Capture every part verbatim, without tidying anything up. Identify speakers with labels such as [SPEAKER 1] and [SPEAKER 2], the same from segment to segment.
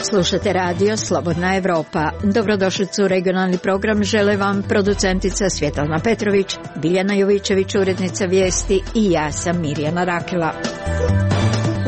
[SPEAKER 1] Slušate radio Slobodna Evropa. Dobrodošlicu u regionalni program žele vam producentica Svjetlana Petrović, Biljana Jovičević, urednica vijesti i ja sam Mirjana Rakela.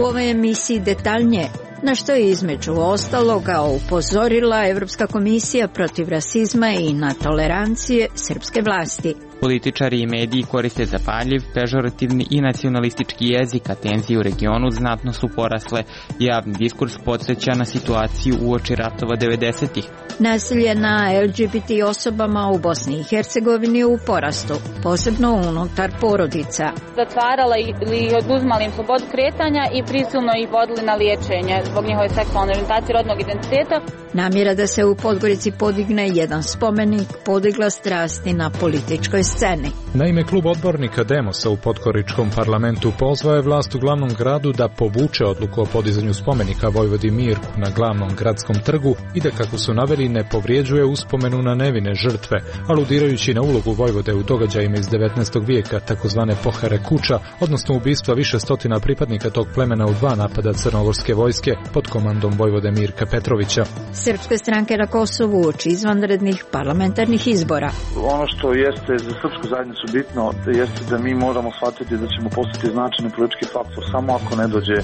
[SPEAKER 1] U ovoj emisiji detaljnije na što je između ostaloga upozorila Evropska komisija protiv rasizma i netolerancije srpske vlasti.
[SPEAKER 2] Političari i mediji koriste zapaljiv, pežorativni i nacionalistički jezik, a tenzije u regionu znatno su porasle. Javni diskurs podsjeća na situaciju uoči ratova devedesetih.
[SPEAKER 1] Nasilje na L G B T osobama u Bosni i Hercegovini u porastu, posebno unutar porodica.
[SPEAKER 3] Zatvarala ili oduzimala im slobodu kretanja i prisilno ih vodili na liječenje zbog njihove seksualne orijentacije, rodnog identiteta.
[SPEAKER 1] Namjera da se u Podgorici podigne jedan spomenik podigla strasti na političkoj sceni.
[SPEAKER 4] Naime, klub odbornika Demosa u Podgoričkom parlamentu pozvao je vlast u glavnom gradu da povuče odluku o podizanju spomenika Vojvodi Mirku na glavnom gradskom trgu i da, kako su naveli, ne povrijeđuje uspomenu na nevine žrtve, aludirajući na ulogu Vojvode u događajima iz devetnaestog vijeka, takozvane pohare kuća, odnosno ubistva više stotina pripadnika tog plemena u dva napada crnogorske vojske pod komandom Vojvode Mirka Petrovića.
[SPEAKER 1] Srpske stranke na Kosovu uoči izvanrednih parlamentarnih izbora.
[SPEAKER 5] Ono što jeste za srpsku zajednicu bitno jeste da mi moramo shvatiti da ćemo postati značajni politički faktor samo ako ne dođe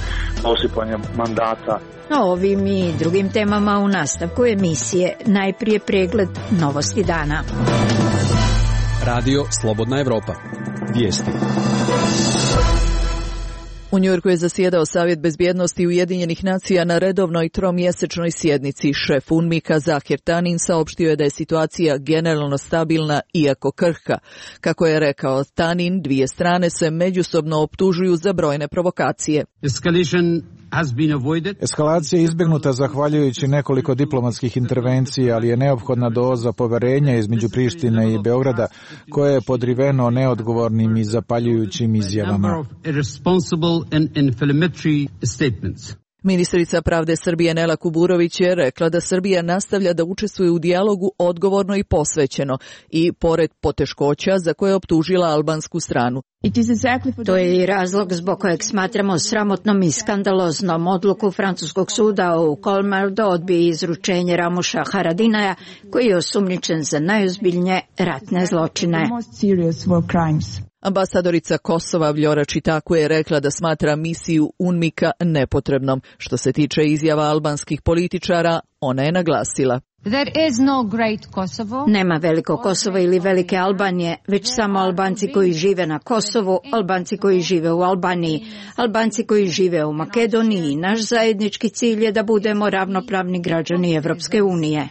[SPEAKER 5] do osipanja mandata.
[SPEAKER 1] O ovim i drugim temama u nastavku emisije. Najprije pregled novosti dana.
[SPEAKER 6] Radio Slobodna Evropa. Vijesti.
[SPEAKER 7] U Njujorku je zasjedao Savjet bezbjednosti Ujedinjenih nacija na redovnoj tromjesečnoj sjednici. Šef UNMIK-a Zahir Tanin saopštio je da je situacija generalno stabilna, iako krhka. Kako je rekao Tanin, dvije strane se međusobno optužuju za brojne provokacije.
[SPEAKER 8] Eskalacija je izbjegnuta zahvaljujući nekoliko diplomatskih intervencija, ali je neophodna doza poverenja između Prištine i Beograda, koje je podriveno neodgovornim i zapaljujućim izjavama.
[SPEAKER 7] Ministrica pravde Srbije Nela Kuburović je rekla da Srbija nastavlja da učestvuje u dijalogu odgovorno i posvećeno i pored poteškoća za koje je optužila albansku stranu.
[SPEAKER 1] To je i razlog zbog kojeg smatramo sramotnom i skandaloznom odluku francuskog suda u Kolmar da odbije izručenje Ramuša Haradinaja, koji je osumnjičen za najozbiljnije ratne zločine.
[SPEAKER 7] Ambasadorica Kosova Vljora Čitaku je rekla da smatra misiju UNMIK-a nepotrebnom. Što se tiče izjava albanskih političara, ona je naglasila:
[SPEAKER 1] Nema veliko Kosovo ili velike Albanije, već samo Albanci koji žive na Kosovu, Albanci koji žive u Albaniji, Albanci koji žive u Makedoniji i naš zajednički cilj je da budemo ravnopravni građani Evropske unije.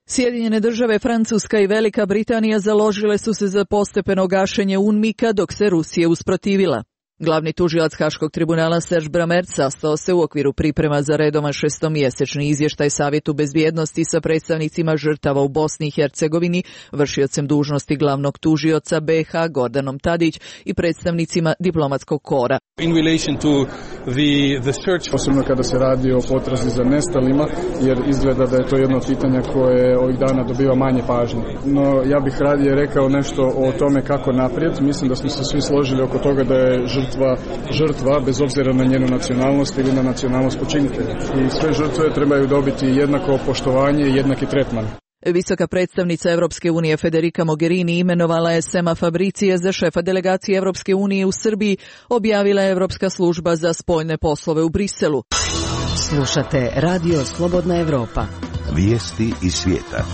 [SPEAKER 7] Sjedinjene države, Francuska i Velika Britanija založile su se za postepeno gašenje UNMIK-a dok se Rusija usprotivila. Glavni tužilac Haškog tribunala Serge Bramert sastao se u okviru priprema za redovan šestomjesečni izvještaj Savjetu bezbjednosti sa predstavnicima žrtava u Bosni i Hercegovini, vršiocem dužnosti glavnog tužioca B iH Gordanom Tadić i predstavnicima diplomatskog kora.
[SPEAKER 9] In relation to the, the search, posebno kada se radi o potrazi za nestalima, jer izgleda da je to jedno pitanje koje ovih dana dobiva manje pažnje. No ja bih radije rekao nešto o tome kako naprijed. Mislim da smo se svi složili oko toga da je žrtva, žrtva bez obzira na njenu nacionalnost ili na nacionalnost počinitelja. I sve žrtve trebaju dobiti jednako poštovanje i jednaki tretman.
[SPEAKER 7] Visoka predstavnica Evropske unije Federica Mogherini imenovala je Sema Fabricija za šefa delegacije Evropske unije u Srbiji, objavila je Evropska služba za spoljne poslove u Briselu.
[SPEAKER 10] Slušate Radio Slobodna Evropa.
[SPEAKER 11] Vijesti iz svijeta.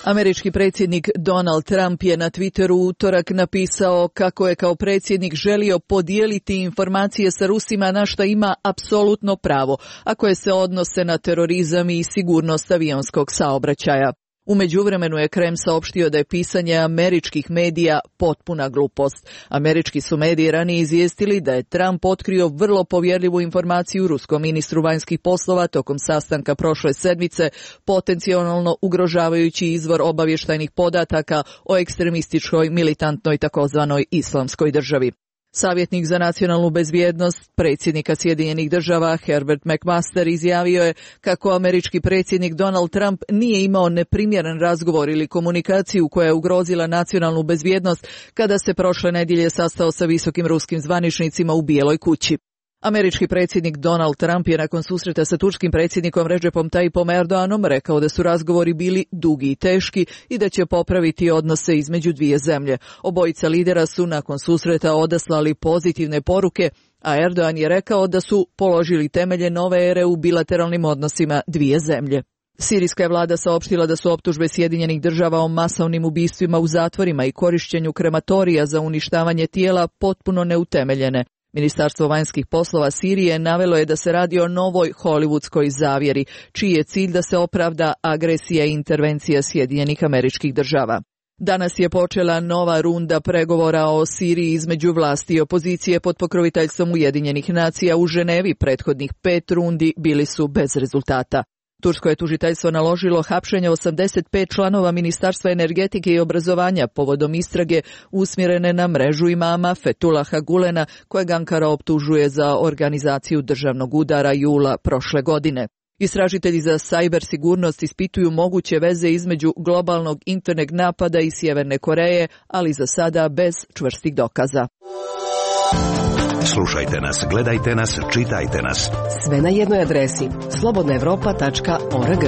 [SPEAKER 7] Američki predsjednik Donald Trump je na Twitteru u utorak napisao kako je kao predsjednik želio podijeliti informacije sa Rusima na što ima apsolutno pravo, a koje se odnose na terorizam i sigurnost avionskog saobraćaja. U međuvremenu je Kreml saopštio da je pisanje američkih medija potpuna glupost. Američki su mediji ranije izvijestili da je Trump otkrio vrlo povjerljivu informaciju ruskom ministru vanjskih poslova tokom sastanka prošle sedmice, potencijalno ugrožavajući izvor obavještajnih podataka o ekstremističkoj militantnoj takozvanoj islamskoj državi. Savjetnik za nacionalnu bezbjednost predsjednika Sjedinjenih država Herbert McMaster izjavio je kako američki predsjednik Donald Trump nije imao neprimjeren razgovor ili komunikaciju koja je ugrozila nacionalnu bezbjednost kada se prošle nedjelje sastao sa visokim ruskim zvaničnicima u Bijeloj kući. Američki predsjednik Donald Trump je nakon susreta sa turskim predsjednikom Recepom Tayyipom Erdoganom rekao da su razgovori bili dugi i teški i da će popraviti odnose između dvije zemlje. Obojica lidera su nakon susreta odaslali pozitivne poruke, a Erdogan je rekao da su položili temelje nove ere u bilateralnim odnosima dvije zemlje. Sirijska je vlada saopštila da su optužbe Sjedinjenih država o masovnim ubistvima u zatvorima i korišćenju krematorija za uništavanje tijela potpuno neutemeljene. Ministarstvo vanjskih poslova Sirije navelo je da se radi o novoj hollywoodskoj zavjeri, čiji je cilj da se opravda agresija i intervencija Sjedinjenih Američkih Država. Danas je počela nova runda pregovora o Siriji između vlasti i opozicije pod pokroviteljstvom Ujedinjenih nacija u Ženevi. Prethodnih pet rundi bili su bez rezultata. Tursko je tužiteljstvo naložilo hapšenje osamdeset pet članova Ministarstva energetike i obrazovanja povodom istrage usmjerene na mrežu imama Fethullaha Gulena, kojeg Ankara optužuje za organizaciju državnog udara jula prošle godine. Istražitelji za sajber sigurnost ispituju moguće veze između globalnog internet napada i Sjeverne Koreje, ali za sada bez čvrstih dokaza.
[SPEAKER 11] Slušajte nas, gledajte nas, čitajte nas.
[SPEAKER 10] Sve na jednoj adresi slobodna evropa tačka org.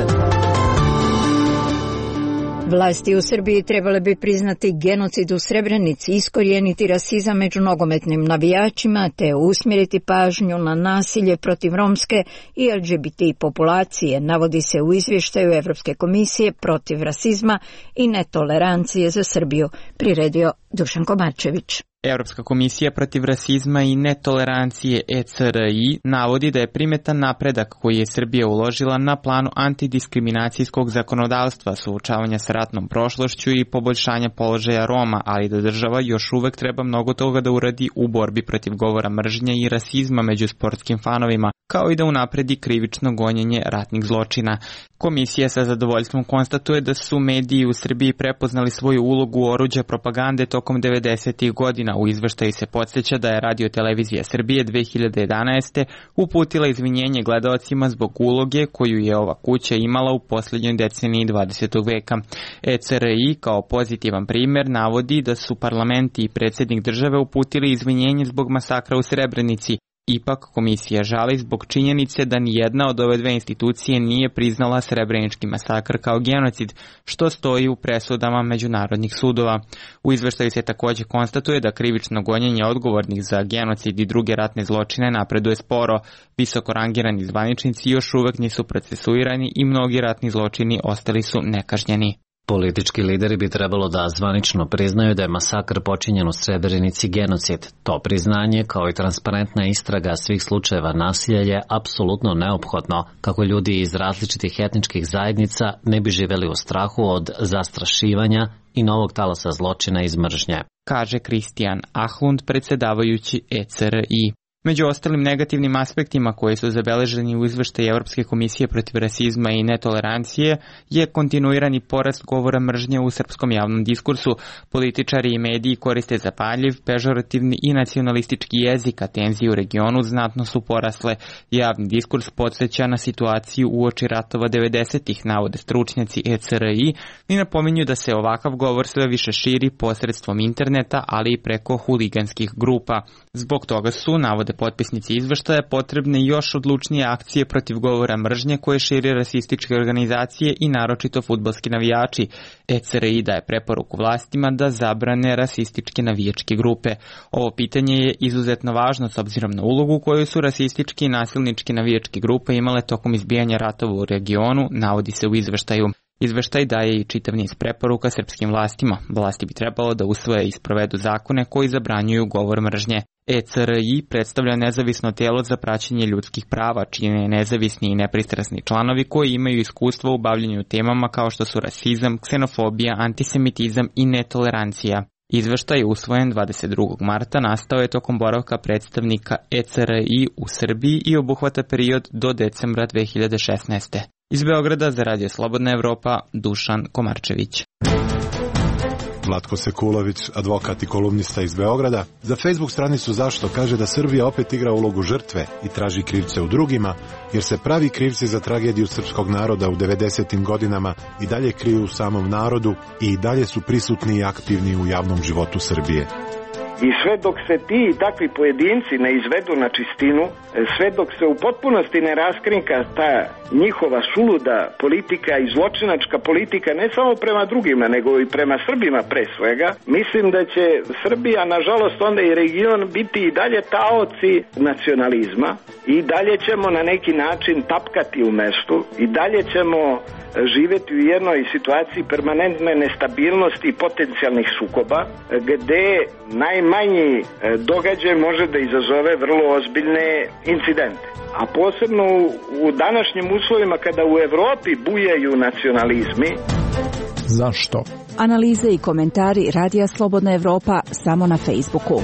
[SPEAKER 1] Vlasti u Srbiji trebale bi priznati genocid u Srebrenici, iskorijeniti rasizam među nogometnim navijačima te usmjeriti pažnju na nasilje protiv romske i L G B T populacije, navodi se u izvještaju Evropske komisije protiv rasizma i netolerancije za Srbiju, priredio Dušan Komarčević.
[SPEAKER 2] Evropska komisija protiv rasizma i netolerancije E C R I navodi da je primetan napredak koji je Srbija uložila na planu antidiskriminacijskog zakonodavstva, suočavanja sa ratnom prošlošću i poboljšanja položaja Roma, ali da država još uvek treba mnogo toga da uradi u borbi protiv govora mržnje i rasizma među sportskim fanovima, kao i da unapredi krivično gonjenje ratnih zločina. Komisija sa zadovoljstvom konstatuje da su mediji u Srbiji prepoznali svoju ulogu oruđa propagande tokom devedesetih godina. U izveštaju se podsjeća da je Radio Televizija Srbije dve hiljade jedanaeste. uputila izvinjenje gledaocima zbog uloge koju je ova kuća imala u posljednjoj deceniji dvadesetog veka. E C R I kao pozitivan primjer navodi da su parlamenti i predsjednik države uputili izvinjenje zbog masakra u Srebrenici. Ipak komisija žali zbog činjenice da nijedna od ove dve institucije nije priznala Srebrenički masakr kao genocid, što stoji u presudama međunarodnih sudova. U izveštaju se također konstatuje da krivično gonjenje odgovornih za genocid i druge ratne zločine napreduje sporo. Visoko rangirani zvaničnici još uvek nisu procesuirani i mnogi ratni zločini ostali su nekažnjeni.
[SPEAKER 12] Politički lideri bi trebalo da zvanično priznaju da je masakr počinjen u Srebrenici genocid. To priznanje, kao i transparentna istraga svih slučajeva nasilja, je apsolutno neophodno kako ljudi iz različitih etničkih zajednica ne bi živjeli u strahu od zastrašivanja i novog talasa zločina iz mržnje,
[SPEAKER 2] kaže Kristijan Ahlund, predsjedavajući E C R I. Među ostalim negativnim aspektima koji su zabeleženi u izveštaju Evropske komisije protiv rasizma i netolerancije je kontinuirani porast govora mržnje u srpskom javnom diskursu. Političari i mediji koriste zapaljiv, pežorativni i nacionalistički jezik, a tenzije u regionu znatno su porasle. Javni diskurs podsjeća na situaciju uoči ratova devedesetih, navode stručnjaci E C R I, i napominju da se ovakav govor sve više širi posredstvom interneta, ali i preko huliganskih grupa. Zbog toga su, navode potpisnici izveštaja, potrebne još odlučnije akcije protiv govora mržnje koje širi rasističke organizacije i naročito fudbalski navijači. E C R I daje preporuku vlastima da zabrane rasističke navijačke grupe. Ovo pitanje je izuzetno važno s obzirom na ulogu koju su rasističke i nasilničke navijačke grupe imale tokom izbijanja ratova u regionu, navodi se u izveštaju. Izveštaj daje i čitav niz preporuka srpskim vlastima. Vlasti bi trebalo da usvoje i sprovedu zakone koji zabranjuju govor mržnje. E C R I predstavlja nezavisno tijelo za praćenje ljudskih prava, čine nezavisni i nepristrasni članovi koji imaju iskustvo u bavljanju temama kao što su rasizam, ksenofobija, antisemitizam i netolerancija. Izveštaj usvojen dvadeset drugog marta nastao je tokom boravka predstavnika E C R I u Srbiji i obuhvata period do decembra dve hiljade šesnaeste. Iz Beograda za Radio Slobodna Evropa, Dušan Komarčević.
[SPEAKER 13] Vlatko Sekulović, advokat i kolumnista iz Beograda, za Facebook stranicu Zašto kaže da Srbija opet igra ulogu žrtve i traži krivce u drugima, jer se pravi krivci za tragediju srpskog naroda u devedesetim godinama i dalje kriju u samom narodu i dalje su prisutni i aktivni u javnom životu Srbije.
[SPEAKER 14] I sve dok se ti i takvi pojedinci ne izvedu na čistinu, sve dok se u potpunosti ne raskrinka ta njihova suluda politika i zločinačka politika ne samo prema drugima, nego i prema Srbima pre svega, mislim da će Srbija, nažalost, onda i region biti i dalje taoci nacionalizma i dalje ćemo na neki način tapkati u mestu i dalje ćemo živjeti u jednoj situaciji permanentne nestabilnosti i potencijalnih sukoba, gde najmanji događaj može da izazove vrlo ozbiljne incidente. A posebno u današnjim uslovima kada u Evropi bujaju nacionalizmi.
[SPEAKER 4] Zašto?
[SPEAKER 15] Analize i komentari Radija Slobodna Evropa samo na Facebooku.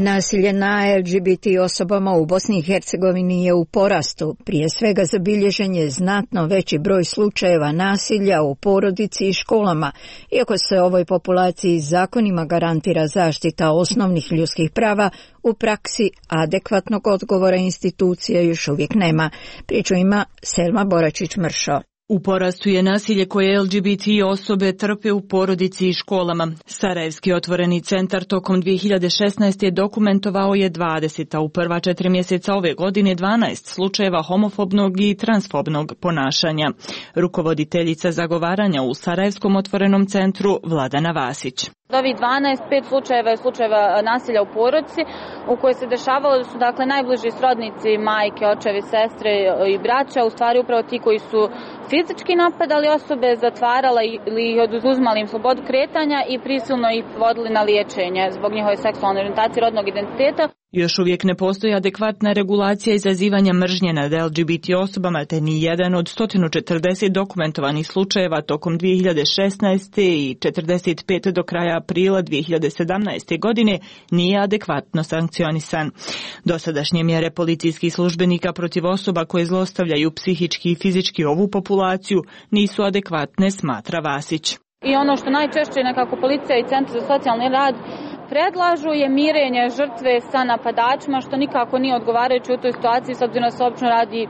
[SPEAKER 1] Nasilje na L G B T osobama u Bosni i Hercegovini je u porastu. Prije svega zabilježen je znatno veći broj slučajeva nasilja u porodici i školama, iako se ovoj populaciji zakonima garantira zaštita osnovnih ljudskih prava, u praksi adekvatnog odgovora institucija još uvijek nema. Priču ima Selma Boračić-Mršo.
[SPEAKER 16] U porastu je nasilje koje L G B T osobe trpe u porodici i školama. Sarajevski otvoreni centar tokom dvije hiljade šesnaeste. je dokumentovao je dvadeset, a u prva četiri mjeseca ove godine dvanaest slučajeva homofobnog i transfobnog ponašanja. Rukovoditeljica zagovaranja u Sarajevskom otvorenom centru Vladana Vasić.
[SPEAKER 3] Od ovih dvanaest, pet slučajeva je slučajeva nasilja u porodici u kojoj se dešavalo da su dakle najbliži srodnici, majke, očevi, sestre i braća, u stvari upravo ti koji su fizički napadali osobe, zatvarala ili ih oduzimali im slobodu kretanja i prisilno ih vodili na liječenje zbog njihove seksualne orijentacije, rodnog identiteta.
[SPEAKER 16] Još uvijek ne postoji adekvatna regulacija izazivanja mržnje nad L G B T osobama, te ni jedan od sto četrdeset dokumentovanih slučajeva tokom dvije hiljade šesnaeste. i četrdeset pet do kraja aprila dvije hiljade sedamnaeste. godine nije adekvatno sankcionisan. Dosadašnje mjere policijskih službenika protiv osoba koje zlostavljaju psihički i fizički ovu populaciju nisu adekvatne, smatra Vasić.
[SPEAKER 3] I ono što najčešće nekako policija i centar za socijalni rad predlažu je mirenje žrtve sa napadačima, što nikako nije odgovarajuće u toj situaciji, s obzirom da se obično radi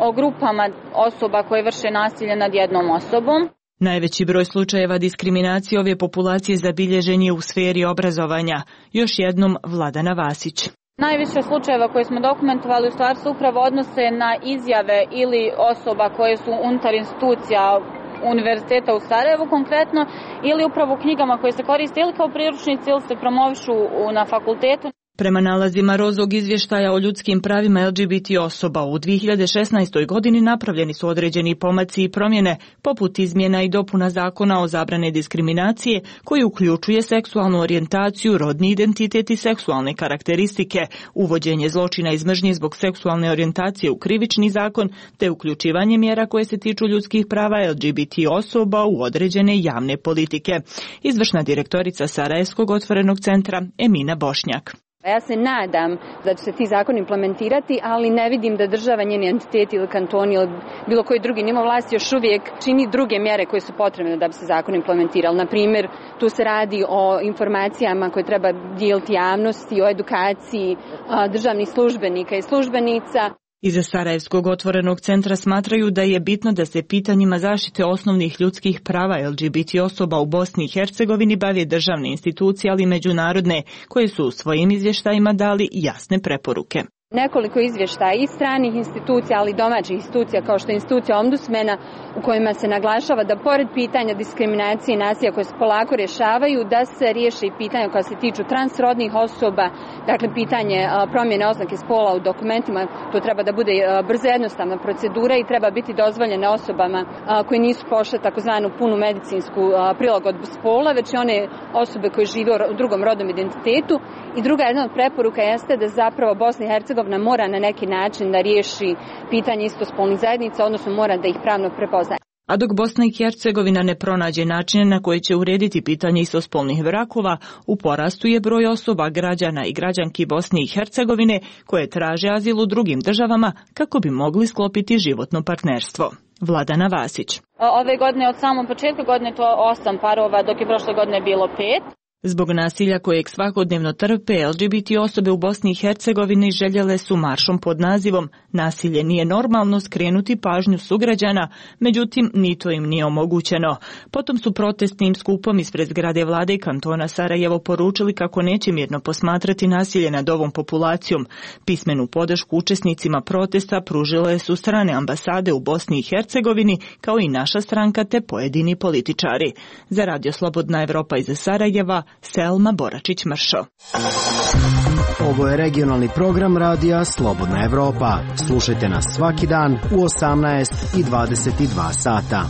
[SPEAKER 3] o grupama osoba koje vrše nasilje nad jednom osobom.
[SPEAKER 16] Najveći broj slučajeva diskriminacije ove populacije zabilježen je u sferi obrazovanja. Još jednom Vladana Vasić.
[SPEAKER 3] Najviše slučajeva koje smo dokumentovali u stvari se upravo odnose na izjave ili osoba koje su unutar institucija Univerziteta u Sarajevu konkretno, ili upravo u knjigama koje se koriste ili kao priručnici ili se promovišu na fakultetu.
[SPEAKER 16] Prema nalazima Rozog izvještaja o ljudskim pravima L G B T osoba u dvije hiljade šesnaestoj. godini napravljeni su određeni pomaci i promjene, poput izmjena i dopuna zakona o zabrane diskriminacije, koji uključuje seksualnu orijentaciju, rodni identitet i seksualne karakteristike, uvođenje zločina iz mržnje zbog seksualne orijentacije u krivični zakon, te uključivanje mjera koje se tiču ljudskih prava L G B T osoba u određene javne politike. Izvršna direktorica Sarajevskog otvorenog centra Emina Bošnjak.
[SPEAKER 17] Ja se nadam da će se ti zakoni implementirati, ali ne vidim da država, njeni entiteti ili kantoni ili bilo koji drugi nivo vlasti još uvijek čini druge mjere koje su potrebne da bi se zakon implementirali. Na primjer, tu se radi o informacijama koje treba dijeliti javnosti, o edukaciji državnih službenika i službenica.
[SPEAKER 16] Iza Sarajevskog otvorenog centra smatraju da je bitno da se pitanjima zaštite osnovnih ljudskih prava L G B T osoba u Bosni i Hercegovini bave državne institucije, ali i međunarodne, koje su u svojim izvještajima dali jasne preporuke.
[SPEAKER 17] Nekoliko izvještaja i stranih institucija, ali i domaćih institucija kao što je institucija ombudsmena, u kojima se naglašava da pored pitanja diskriminacije i nasilja koje se polako rješavaju, da se riješe i pitanja koja se tiču transrodnih osoba, dakle pitanje promjene oznake spola u dokumentima, to treba da bude brza jednostavna procedura i treba biti dozvoljene osobama koje nisu prošle takozvanu punu medicinsku prilagodbu spola, već i one osobe koje žive u drugom rodnom identitetu. I druga jedna od preporuka jeste da zapravo Bosna i Hercegovina mora na neki način da riješi pitanje istospolnih zajednica, odnosno mora da ih pravno prepoznaje.
[SPEAKER 16] A dok Bosna i Hercegovina ne pronađe načine na koje će urediti pitanje istospolnih brakova, u porastu je broj osoba, građana i građanki Bosne i Hercegovine koje traže azil u drugim državama kako bi mogli sklopiti životno partnerstvo. Vladana Vasić.
[SPEAKER 3] Ove godine od samog početka godine to osam parova, dok je prošle godine bilo pet.
[SPEAKER 16] Zbog nasilja kojeg svakodnevno trpe L G B T osobe u Bosni i Hercegovini željele su maršom pod nazivom "Nasilje nije normalno" skrenuti pažnju sugrađana, međutim ni to im nije omogućeno. Potom su protestnim skupom ispred zgrade vlade i kantona Sarajevo poručili kako neće mirno posmatrati nasilje nad ovom populacijom. Pismenu podršku učesnicima protesta pružile su strane ambasade u Bosni i Hercegovini, kao i naša stranka te pojedini političari. Za Radio Slobodna Evropa iz Sarajeva, Selma Boračić-Mršo.
[SPEAKER 18] Ovo je regionalni program radija Slobodna Evropa. Slušajte nas svaki dan u osamnaest i dvadeset dva sata.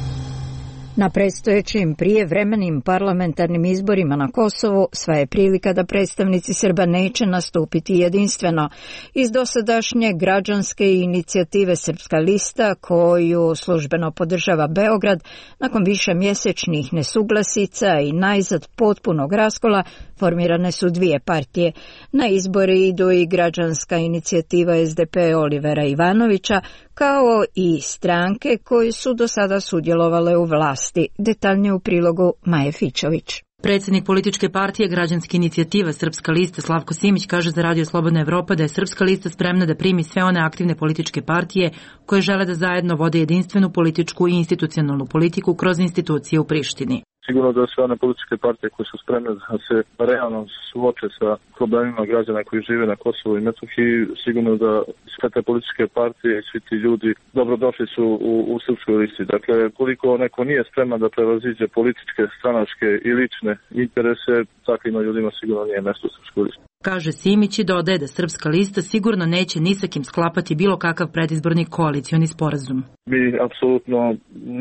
[SPEAKER 1] Na predstojećim prijevremenim parlamentarnim izborima na Kosovu sva je prilika da predstavnici Srba neće nastupiti jedinstveno. Iz dosadašnje građanske inicijative Srpska lista, koju službeno podržava Beograd, nakon više mjesečnih nesuglasica i najzad potpunog raskola, formirane su dvije partije. Na izbori idu i građanska inicijativa S D P Olivera Ivanovića, kao i stranke koje su do sada sudjelovale u vlasti. Detaljnije u prilogu Maje Fićović.
[SPEAKER 19] Predsjednik političke partije Građanske inicijative Srpska lista Slavko Simić kaže za Radio Slobodna Evropa da je Srpska lista spremna da primi sve one aktivne političke partije koje žele da zajedno vode jedinstvenu političku i institucionalnu politiku kroz institucije u Prištini.
[SPEAKER 5] Sigurno da sve one političke partije koje su spremne da se realno suoče sa problemima građana koji žive na Kosovu i Metohiji, sigurno da sve te političke partije i svi ti ljudi dobrodošli su u, u Srpskoj listi. Dakle, koliko neko nije spreman da prevaziđe političke, stranačke i lične interese, takvim ljudima sigurno nije mesto u Srpskoj listi.
[SPEAKER 19] Kaže Simić i dodaje da Srpska lista sigurno neće ni sa kim sklapati bilo kakav predizborni koalicioni sporazum.
[SPEAKER 5] Mi apsolutno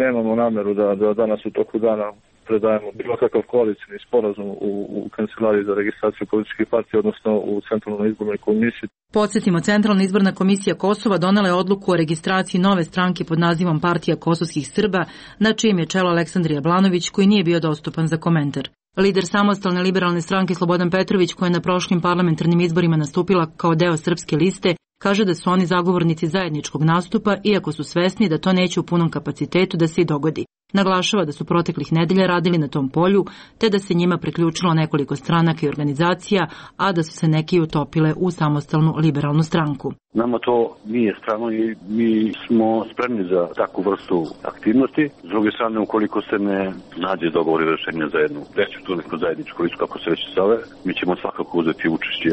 [SPEAKER 5] nemamo nameru da, da danas u toku dana predajemo bilo kakav koalicijni sporazum u, u Kancelariji za registraciju političkih partija, odnosno u Centralnoj izbornoj komisiji.
[SPEAKER 19] Podsjetimo, Centralna izborna komisija Kosova donela je odluku o registraciji nove stranke pod nazivom Partija kosovskih Srba, na čijem je čelo Aleksandar Jablanović, koji nije bio dostupan za komentar. Lider samostalne liberalne stranke Slobodan Petrović, koja je na prošlim parlamentarnim izborima nastupila kao deo Srpske liste, kaže da su oni zagovornici zajedničkog nastupa, iako su svesni da to neće u punom kapacitetu da se i dogodi. Naglašava da su proteklih nedelja radili na tom polju, te da se njima priključilo nekoliko stranaka i organizacija, a da su se neki utopile u samostalnu liberalnu stranku.
[SPEAKER 20] Nama to nije strano i mi smo spremni za takvu vrstu aktivnosti. S druge strane, ukoliko se ne nađe dogovor i rešenja za jednu veću tu neku zajedničku listu, kako se već zove, mi ćemo svakako uzeti učešće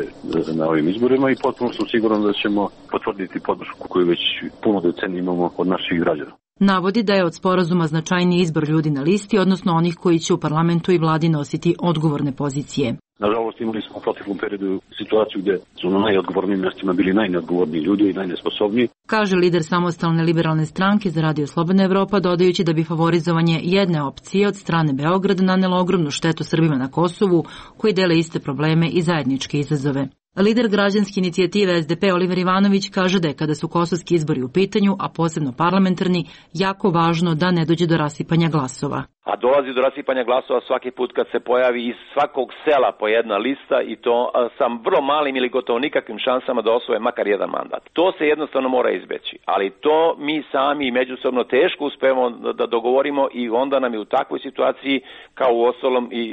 [SPEAKER 20] na ovim izborima i potpuno sam siguran da ćemo potvrditi podršku koju već puno decenija imamo od naših građana.
[SPEAKER 19] Navodi da je od sporazuma značajniji izbor ljudi na listi, odnosno onih koji će u parlamentu i vladi nositi odgovorne pozicije.
[SPEAKER 20] Nažalost, imali smo u proteklom periodu situaciju gde su na najodgovornijim mjestima bili najneodgovorniji ljudi i najnesposobniji.
[SPEAKER 19] Kaže lider samostalne liberalne stranke za Radio Slobodna Evropa, dodajući da bi favorizovanje jedne opcije od strane Beograda nanelo ogromnu štetu Srbima na Kosovu, koji dele iste probleme i zajedničke izazove. Lider građanske inicijative S D P Oliver Ivanović kaže da je kada su kosovski izbori u pitanju, a posebno parlamentarni, jako važno da ne dođe do rasipanja glasova.
[SPEAKER 21] A dolazi do rasipanja glasova svaki put kad se pojavi iz svakog sela po jedna lista i to sa vrlo malim ili gotovo nikakvim šansama da osvoje makar jedan mandat. To se jednostavno mora izbeći, ali to mi sami međusobno teško uspemo da dogovorimo i onda nam je u takvoj situaciji, kao u ostalom i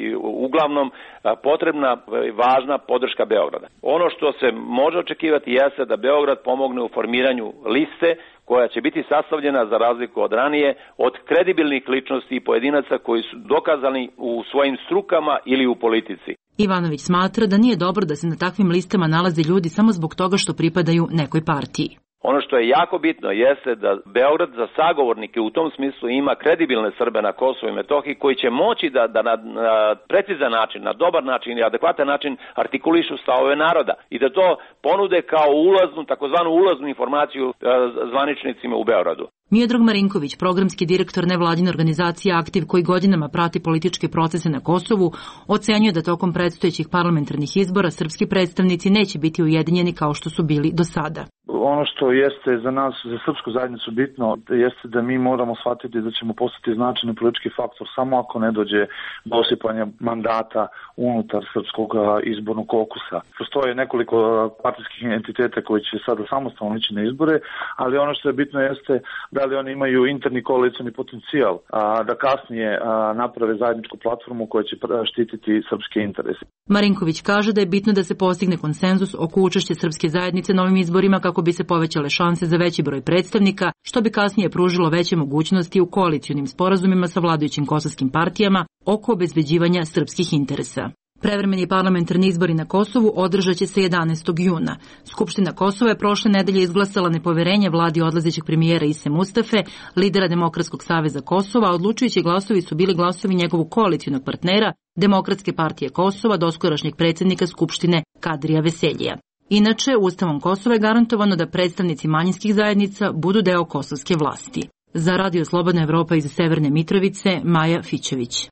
[SPEAKER 21] uglavnom, potrebna važna podrška Beograda. Ono što se može očekivati jeste da Beograd pomogne u formiranju liste koja će biti sastavljena, za razliku od ranije, od kredibilnih ličnosti i pojedinaca koji su dokazani u svojim strukama ili u politici.
[SPEAKER 19] Ivanović smatra da nije dobro da se na takvim listama nalaze ljudi samo zbog toga što pripadaju nekoj partiji.
[SPEAKER 21] Ono što je jako bitno jeste da Beograd za sagovornike u tom smislu ima kredibilne Srbe na Kosovu i Metohiji koji će moći da, da na, na precizan način, na dobar način i adekvatan način artikulišu stavove naroda i da to ponude kao ulaznu, takozvanu ulaznu informaciju zvaničnicima u Beogradu.
[SPEAKER 19] Miodrag Marinković, programski direktor nevladine organizacije Aktiv, koji godinama prati političke procese na Kosovu, ocenjuje da tokom predstojećih parlamentarnih izbora srpski predstavnici neće biti ujedinjeni kao što su bili do sada.
[SPEAKER 5] Ono što jeste za nas, za srpsku zajednicu bitno, jeste da mi moramo shvatiti da ćemo postati značajni politički faktor samo ako ne dođe do osipanja mandata unutar srpskog izbornog kokusa. Postoje nekoliko partijskih entiteta koji će sada samostalno ići na izbore, ali ono što je bitno jeste da li oni imaju interni koalicioni potencijal, a, da kasnije a, naprave zajedničku platformu koja će štititi srpske interese.
[SPEAKER 19] Marinković kaže da je bitno da se postigne konsenzus oko učešća srpske zajednice na ovim izborima kako bi se povećale šanse za veći broj predstavnika, što bi kasnije pružilo veće mogućnosti u koalicionim sporazumima sa vladajućim kosovskim partijama oko obezbeđivanja srpskih interesa. Prevremeni parlamentarni izbori na Kosovu održat će se jedanaestog juna. Skupština Kosova je prošle nedelje izglasala nepoverenje vladi odlazećeg premijera Ise Mustafe, lidera Demokratskog saveza Kosova, a odlučujući glasovi su bili glasovi njegovog koalicionog partnera, Demokratske partije Kosova, doskorašnjeg predsjednika Skupštine Kadrija Veseljija. Inače, Ustavom Kosova je garantovano da predstavnici manjinskih zajednica budu deo kosovske vlasti. Za Radio Slobodna Evropa iz Severne Mitrovice, Maja Fićević.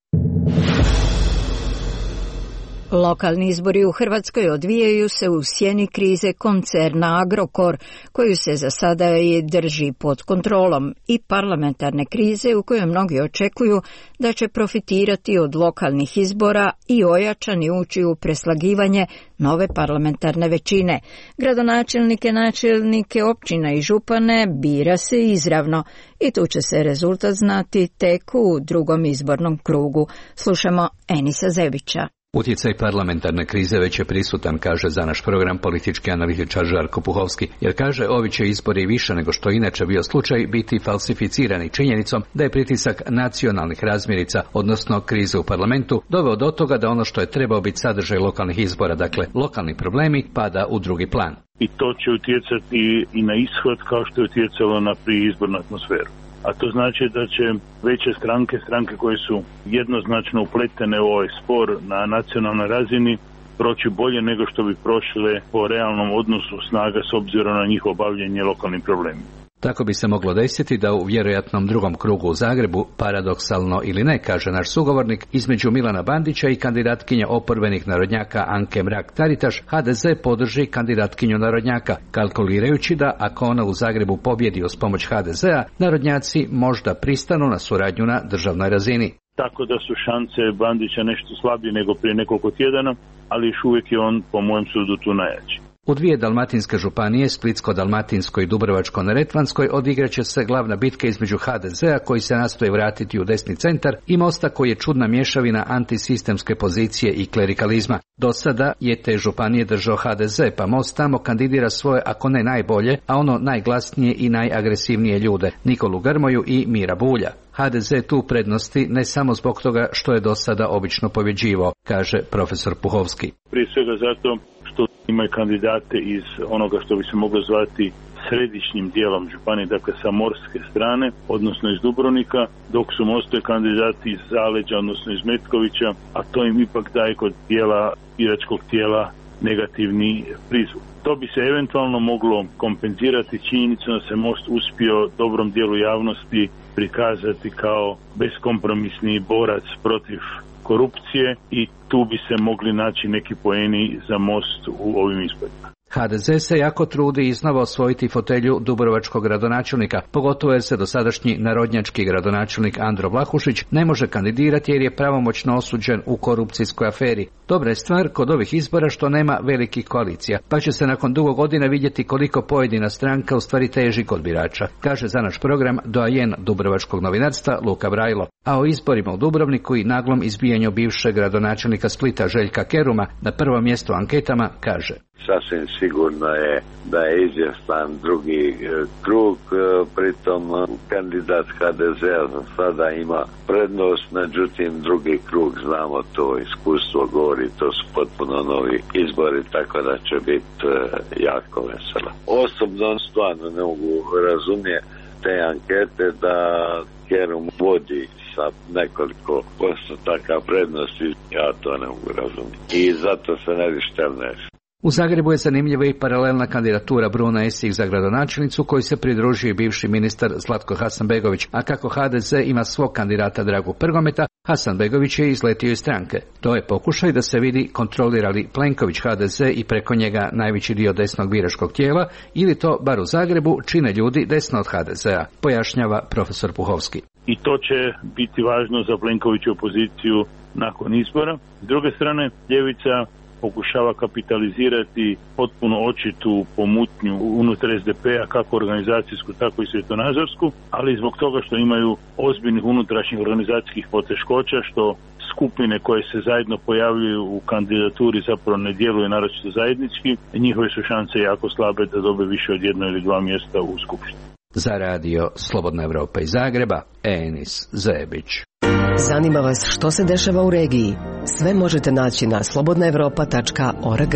[SPEAKER 1] Lokalni izbori u Hrvatskoj odvijaju se u sjeni krize koncerna Agrokor, koju se za sada i drži pod kontrolom, i parlamentarne krize u kojoj mnogi očekuju da će profitirati od lokalnih izbora i ojačani ući u preslagivanje nove parlamentarne većine. Gradonačelnike, načelnike općina i župane bira se izravno i tu će se rezultat znati tek u drugom izbornom krugu. Slušamo Enisa Zebića.
[SPEAKER 6] Utjecaj parlamentarne krize već je prisutan, kaže za naš program politički analitičar Žarko Puhovski, jer kaže ovi će izbori više nego što inače bio slučaj biti falsificirani činjenicom da je pritisak nacionalnih razmjerica, odnosno krize u parlamentu, doveo do toga da ono što je trebao biti sadržaj lokalnih izbora, dakle lokalni problemi, pada u drugi plan.
[SPEAKER 22] I to će utjecati i na ishod kao što je utjecalo na priizbornu atmosferu. A to znači da će veće stranke, stranke koje su jednoznačno upletene u ovaj spor na nacionalnoj razini, proći bolje nego što bi prošle po realnom odnosu snaga s obzirom na njihovo bavljenje lokalnim problemima.
[SPEAKER 6] Tako bi se moglo desiti da u vjerojatnom drugom krugu u Zagrebu, paradoksalno ili ne, kaže naš sugovornik, između Milana Bandića i kandidatkinja oporbenih narodnjaka Anke Mrak-Taritaš, ha de ze podrži kandidatkinju narodnjaka, kalkulirajući da ako ona u Zagrebu pobjedi uz pomoć ha de zea, narodnjaci možda pristanu na suradnju na državnoj razini.
[SPEAKER 22] Tako da su šanse Bandića nešto slabije nego prije nekoliko tjedana, ali još uvijek je on, po mojem sudu, tu najjači.
[SPEAKER 6] U dvije dalmatinske županije, Splitsko-dalmatinskoj i Dubrovačko-neretvanskoj, odigraće se glavna bitka između ha de zea koji se nastoji vratiti u desni centar i Mosta koji je čudna mješavina antisistemske pozicije i klerikalizma. Do sada je te županije držao ha de ze, pa Most tamo kandidira svoje, ako ne najbolje, a ono najglasnije i najagresivnije ljude, Nikolu Grmoju i Mira Bulja. ha de ze tu prednosti ne samo zbog toga što je do sada obično pobjeđivao, kaže profesor Puhovski.
[SPEAKER 22] Prije svega zato što imaju kandidate iz onoga što bi se moglo zvati središnjim dijelom županije, dakle sa morske strane, odnosno iz Dubrovnika, dok su Mostove kandidati iz Zaleđa, odnosno iz Metkovića, a to im ipak daje kod dijela biračkog tijela negativni prizvuk. To bi se eventualno moglo kompenzirati činjenicom da se Most uspio dobrom dijelu javnosti prikazati kao beskompromisni borac protiv korupcije i tu bi se mogli naći neki poeni za Most u ovim izborima.
[SPEAKER 6] ha de ze se jako trudi iznova osvojiti fotelju dubrovačkog gradonačelnika, pogotovo jer se dosadašnji narodnjački gradonačelnik Andro Vlahušić ne može kandidirati jer je pravomoćno osuđen u korupcijskoj aferi. Dobra je stvar kod ovih izbora što nema velikih koalicija, pa će se nakon dugo godina vidjeti koliko pojedina stranka u stvari teži kod birača, kaže za naš program doajen dubrovačkog novinarstva Luka Brajlo. A o izborima u Dubrovniku i naglom izbijanju bivšeg gradonačelnika Splita Željka Keruma na prvo mjesto u anketama kaže:
[SPEAKER 23] Sasvim sigurno je da je izvjestan drugi krug, pritom kandidat ha de zea za sada ima prednost, međutim drugi krug, znamo to, iskustvo govori, to su potpuno novi izbori, tako da će biti jako veselo. Osobno stvarno ne mogu razumjeti te ankete da Kerum vodi sa nekoliko postotaka prednosti, ja to ne mogu razumjeti. I zato se ne bi štelneš.
[SPEAKER 6] U Zagrebu je zanimljiva i paralelna kandidatura Bruna Esih za gradonačelnicu, koju se pridružio i bivši ministar Zlatko Hasanbegović, a kako ha de ze ima svog kandidata Dragu Prgometa, Hasanbegović je izletio iz stranke. To je pokušaj da se vidi kontrolira li Plenković ha de ze i preko njega najveći dio desnog biračkog tijela, ili to, bar u Zagrebu, čine ljudi desno od ha de zea, pojašnjava profesor Puhovski.
[SPEAKER 22] I to će biti važno za Plenkoviću opoziciju nakon izbora. S druge strane, ljevica pokušava kapitalizirati potpuno očitu pomutnju unutar es de pe-a, kako organizacijsku, tako i svjetonazorsku, ali zbog toga što imaju ozbiljnih unutrašnjih organizacijskih poteškoća, što skupine koje se zajedno pojavljuju u kandidaturi zapravo ne djeluju naročito zajednički, njihove su šanse jako slabe da dobe više od jedno ili dva mjesta u skupštini.
[SPEAKER 6] Za radio Slobodna Evropa iz Zagreba, Enis Zebić.
[SPEAKER 10] Zanima vas što se dešava u regiji? Sve možete naći na slobodna evropa tačka org.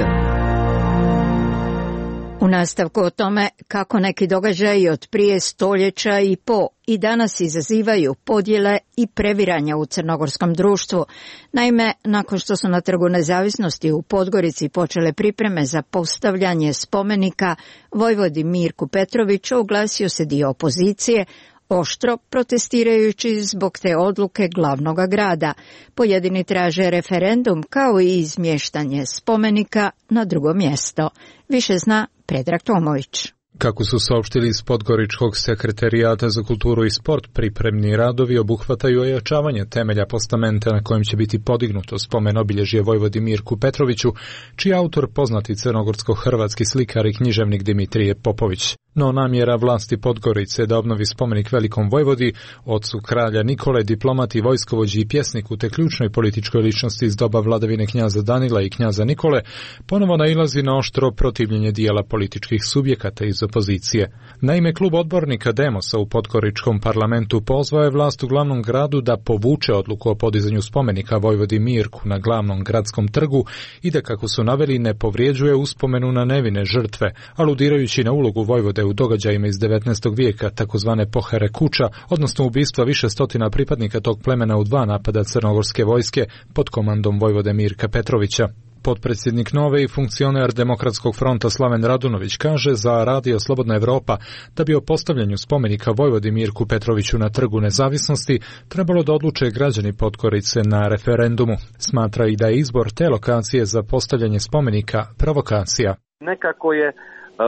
[SPEAKER 1] U nastavku o tome kako neki događaji od prije stoljeća i po i danas izazivaju podjele i previranja u crnogorskom društvu. Naime, nakon što su na Trgu Nezavisnosti u Podgorici počele pripreme za postavljanje spomenika vojvodi Mirku Petroviću, oglasio se dio opozicije, oštro protestirajući zbog te odluke glavnog grada. Pojedini traže referendum kao i izmještanje spomenika na drugo mjesto. Više zna Predrag Tomović.
[SPEAKER 4] Kako su saopštili iz Podgoričkog sekretarijata za kulturu i sport, pripremni radovi obuhvataju ojačavanje temelja postamenta na kojem će biti podignuto spomen obilježje vojvodi Mirku Petroviću, čiji autor poznati crnogorsko-hrvatski slikar i književnik Dimitrije Popović. No namjera vlasti Podgorice da obnovi spomenik velikom vojvodi, ocu kralja Nikole, diplomati, vojskovođi i pjesniku te ključnoj političkoj ličnosti iz doba vladavine knjaza Danila i knjaza Nikole, ponovo nailazi na oštro protivljenje dijela političkih subjekata iz opozicije. Naime, klub odbornika Demosa u Podgoričkom parlamentu pozvao je vlast u glavnom gradu da povuče odluku o podizanju spomenika vojvodi Mirku na glavnom gradskom trgu i da, kako su naveli, ne povrijeđuje uspomenu na nevine žrtve, aludirajući na ulogu vojvode u događajima iz devetnaestog vijeka, takozvane pohere kuća, odnosno ubistva više stotina pripadnika tog plemena u dva napada crnogorske vojske pod komandom vojvode Mirka Petrovića. Potpredsjednik Nove i funkcioner Demokratskog fronta Slaven Radunović kaže za radio Slobodna Evropa da bi o postavljanju spomenika vojvodi Mirku Petroviću na Trgu Nezavisnosti trebalo da odluče građani Podgorice na referendumu. Smatra i da je izbor te lokacije za postavljanje spomenika provokacija.
[SPEAKER 21] Nekako je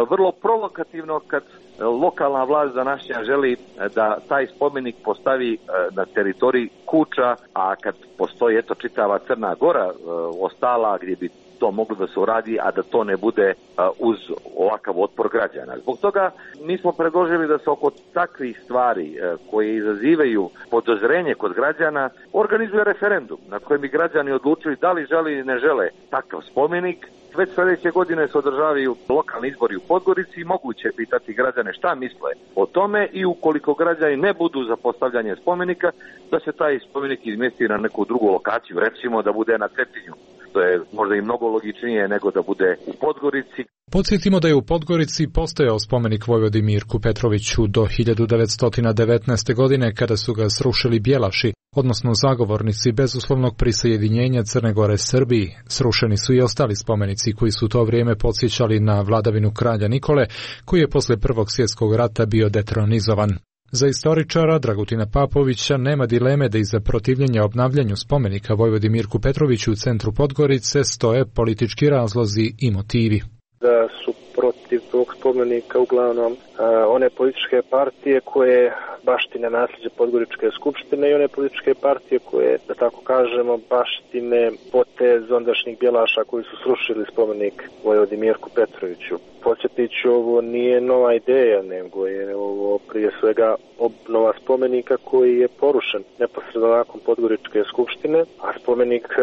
[SPEAKER 21] vrlo provokativno kad lokalna vlast današnja želi da taj spomenik postavi na teritoriji kuća, a kad postoji eto čitava Crna Gora ostala gdje bi to moglo da se uradi, a da to ne bude uz ovakav otpor građana. Zbog toga mi smo predložili da se oko takvih stvari koje izazivaju podozrenje kod građana organizuje referendum na kojem bi građani odlučili da li žele ili ne žele takav spomenik. Već sljedeće godine se održavaju lokalni izbori u Podgorici i moguće je pitati građane šta misle o tome i ukoliko građani ne budu za postavljanje spomenika, da se taj spomenik izmjesti na neku drugu lokaciju, recimo da bude na Cetinju. To je možda i mnogo logičnije nego da bude u Podgorici.
[SPEAKER 4] Podsjetimo da je u Podgorici postojao spomenik vojvodi Mirku Petroviću do hiljadu devetsto devetnaeste. godine kada su ga srušili Bjelaši, odnosno zagovornici bezuslovnog prisajedinjenja Crne Gore Srbiji. Srušeni su i ostali spomenici koji su to vrijeme podsjećali na vladavinu kralja Nikole, koji je posle Prvog svjetskog rata bio detronizovan. Za istoričara Dragutina Papovića nema dileme da iza protivljenja obnavljanju spomenika vojvodi Mirku Petroviću u centru Podgorice stoje politički razlozi i motivi.
[SPEAKER 7] Da su protiv tog spomenika uglavnom a, one političke partije koje baštine nasljeđe Podgoričke skupštine i one političke partije koje, da tako kažemo, baštine potez ondašnjih Bjelaša koji su srušili spomenik vojvodi Mirku Petroviću. Podsjetit ću, ovo nije nova ideja, nego je ovo prije svega obnova spomenika koji je porušen neposredno nakon Podgoričke skupštine, a spomenik e,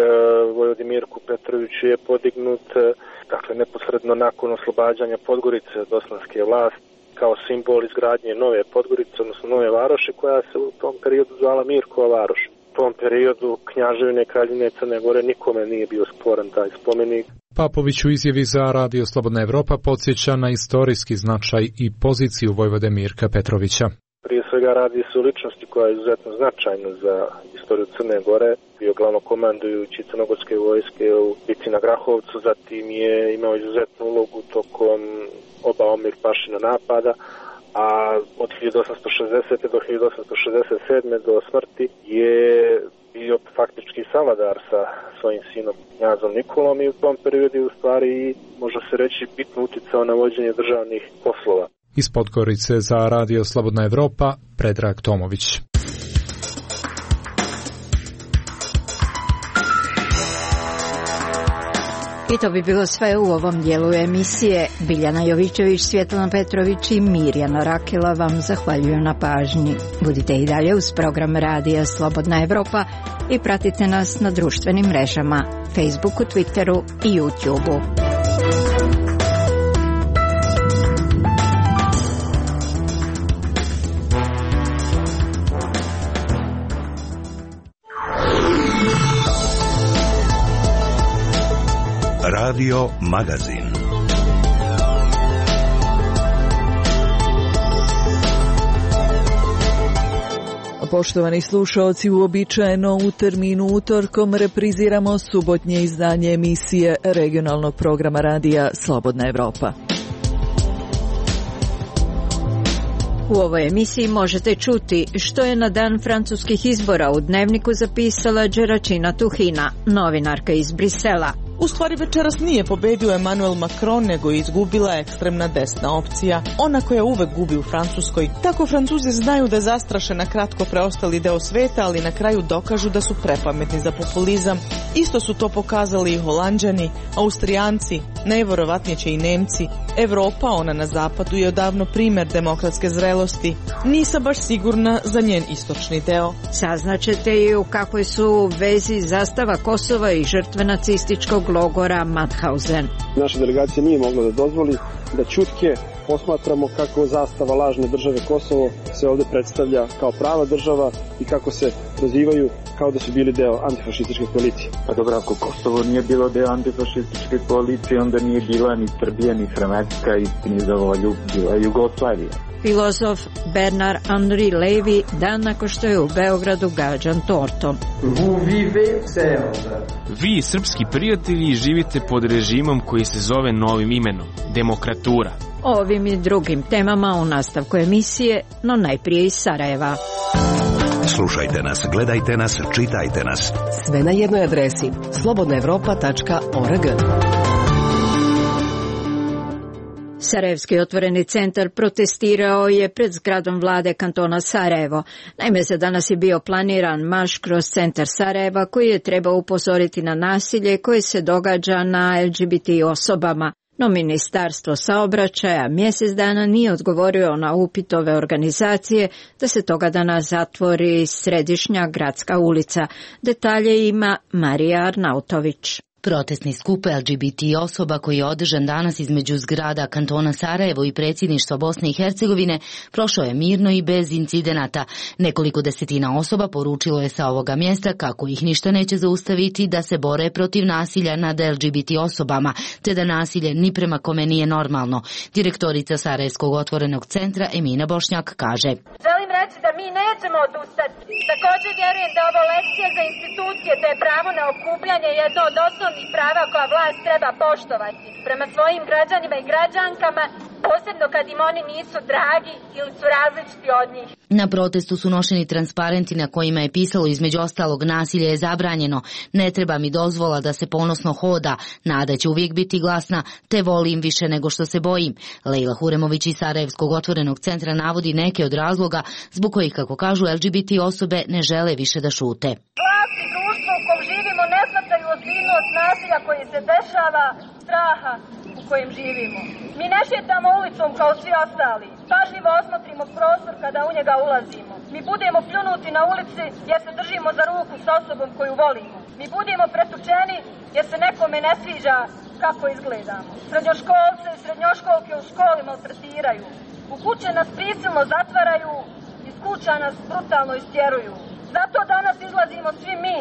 [SPEAKER 7] vojvodi Mirku Petroviću je podignut e, dakle neposredno nakon oslobađanja Podgorice od osmanske vlasti kao simbol izgradnje nove Podgorice, odnosno nove varoši koja se u tom periodu zvala Mirkova varoš. U tom periodu Knjaževine Kraljevine Crne Gore nikome nije bio sporan taj spomenik.
[SPEAKER 4] Papović u izjavi za radio Slobodna Evropa podsjeća na istorijski značaj i poziciju vojvode Mirka Petrovića.
[SPEAKER 7] Prije svega radi se o ličnosti koja je izuzetno značajna za istoriju Crne Gore. Bio glavnokomandujući crnogorske vojske u bitci na Grahovcu, zatim je imao izuzetnu ulogu tokom oba Omir Pašina napada, a od hiljadu osamsto šezdesete do hiljadu osamsto šezdeset sedme do smrti je bio faktički savladar sa svojim sinom Knjazom Nikolom i u tom periodu u stvari može se reći bitno uticao na vođenje državnih poslova.
[SPEAKER 4] Iz Podgorice za Radio Slobodna Evropa, Predrag Tomović.
[SPEAKER 1] I to bi bilo sve u ovom dijelu emisije. Biljana Jovićević, Svjetlana Petrović i Mirjana Rakela vam zahvaljuju na pažnji. Budite i dalje uz program Radija Slobodna Evropa i pratite nas na društvenim mrežama, Facebooku, Twitteru i YouTubeu.
[SPEAKER 8] Radio Magazin.
[SPEAKER 9] Poštovani slušaoci, uobičajeno u terminu utorkom repriziramo subotnje izdanje emisije regionalnog programa radija Slobodna Evropa.
[SPEAKER 1] U ovoj emisiji možete čuti što je na dan francuskih izbora u Dnevniku zapisala Đeračina Tuhina, novinarka iz Brisela.
[SPEAKER 11] U stvari večeras nije pobedio Emmanuel Macron, nego je izgubila ekstremna desna opcija, ona koja uvek gubi u Francuskoj. Tako Francuzi znaju da zastraše na kratko preostali deo sveta, ali na kraju dokažu da su prepametni za populizam. Isto su to pokazali i Holanđani, Austrijanci, najverovatnije će i Nemci. Evropa, ona na zapadu, je odavno primer demokratske zrelosti. Nisam baš sigurna za njen istočni deo.
[SPEAKER 1] Saznaćete i u kakvoj su vezi zastava Kosova i žrtve nacističkog logora Mauthausen.
[SPEAKER 24] Naša delegacija nije mogla da dozvoli da ćutke posmatramo kako zastava lažne države Kosovo se ovde predstavlja kao prava država i kako se prozivaju kao da su bili deo antifašističke koalicije.
[SPEAKER 25] Pa dobro, ako Kosovo nije bilo deo antifašističke koalicije, onda nije bila ni Srbija, ni Hrvatska, istini za volju, bila Jugoslavija.
[SPEAKER 1] Filozof Bernard Henri Levy dan nakon što je u Beogradu gađan tortom.
[SPEAKER 26] Vi, srpski prijatelji, živite pod režimom koji se zove novim imenom, demokratura.
[SPEAKER 1] O ovim i drugim temama u nastavku emisije, no najprije iz Sarajeva.
[SPEAKER 8] Slušajte nas, gledajte nas, čitajte nas.
[SPEAKER 10] Sve na jednoj adresi slobodna evropa tačka org.
[SPEAKER 1] Sarajevski otvoreni centar protestirao je pred zgradom vlade kantona Sarajevo. Naime, za danas je bio planiran marš kroz centar Sarajeva koji je trebao upozoriti na nasilje koje se događa na L G B T osobama. No Ministarstvo saobraćaja mjesec dana nije odgovorio na upit ove organizacije da se toga dana zatvori središnja gradska ulica. Detalje ima Marija Arnautović.
[SPEAKER 27] Protestni skup L G B T osoba koji je održan danas između zgrada kantona Sarajevo i predsjedništva Bosne i Hercegovine prošao je mirno i bez incidenata. Nekoliko desetina osoba poručilo je sa ovoga mjesta kako ih ništa neće zaustaviti da se bore protiv nasilja nad L G B T osobama, te da nasilje ni prema kome nije normalno. Direktorica Sarajevskog otvorenog centra Emina Bošnjak kaže:
[SPEAKER 28] Želim reći da mi nećemo odustati. Također vjerujem da ovo lekcija za institucije, da je pravo na okupljanje jedno od osnovnih prava koja vlast treba poštovati prema svojim građanima i građankama, posebno kad im oni nisu dragi ili su različiti od njih.
[SPEAKER 27] Na protestu su nošeni transparenti na kojima je pisalo između ostalog: nasilje je zabranjeno, ne treba mi dozvola da se ponosno hoda, nada će uvijek biti glasna, te volim više nego što se bojim. Lejla Huremović iz Sarajevskog otvorenog centra navodi neke od razloga zbog kojih, kako kažu, L G B T osobe ne žele više da šute.
[SPEAKER 28] Vlast i društvo u kom živimo ne shvataju ozbiljnost nasilja koji se dešava, straha u kojem živimo. Mi ne šetamo ulicom kao svi ostali. Pažljivo osmotrimo prostor kada u njega ulazimo. Mi budemo pljunuti na ulici jer se držimo za ruku s osobom koju volimo. Mi budemo pretučeni jer se nekome ne sviđa kako izgledamo. Srednjoškolce i srednjoškolke u školi maltretiraju. U kuće nas prisilno zatvaraju, iz kuća nas brutalno istjeruju. Zato danas izlazimo svi mi,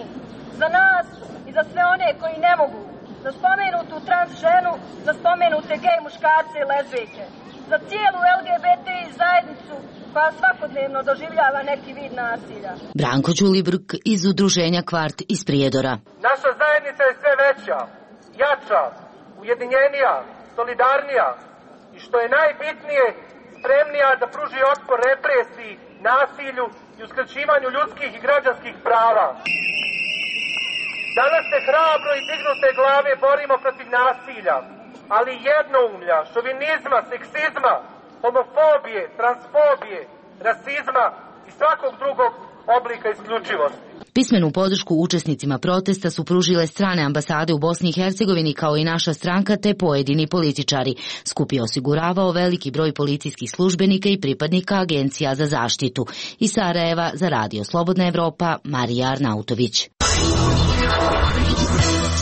[SPEAKER 28] za nas i za sve one koji ne mogu, za spomenutu trans ženu, za spomenute gej muškarce i lezbijke, za cijelu L G B T zajednicu koja svakodnevno doživljava neki vid nasilja.
[SPEAKER 27] Branko Ćulibrk iz udruženja Kvart iz Prijedora.
[SPEAKER 2] Naša zajednica je sve veća, jača, ujedinjenija, solidarnija i što je najbitnije, spremnija da pruži otpor represiji, nasilju i uskraćivanju ljudskih i građanskih prava. Danas se hrabro i dignute glave borimo protiv nasilja, ali jednoumlja, šovinizma, seksizma, homofobije, transfobije, rasizma i svakog drugog oblika isključivosti.
[SPEAKER 27] Pismenu podršku učesnicima protesta su pružile strane ambasade u Bosni i Hercegovini kao i naša stranka te pojedini političari. Skup je osiguravao veliki broj policijskih službenika i pripadnika agencija za zaštitu. Iz Sarajeva za Radio Slobodna Evropa, Marija Arnautović.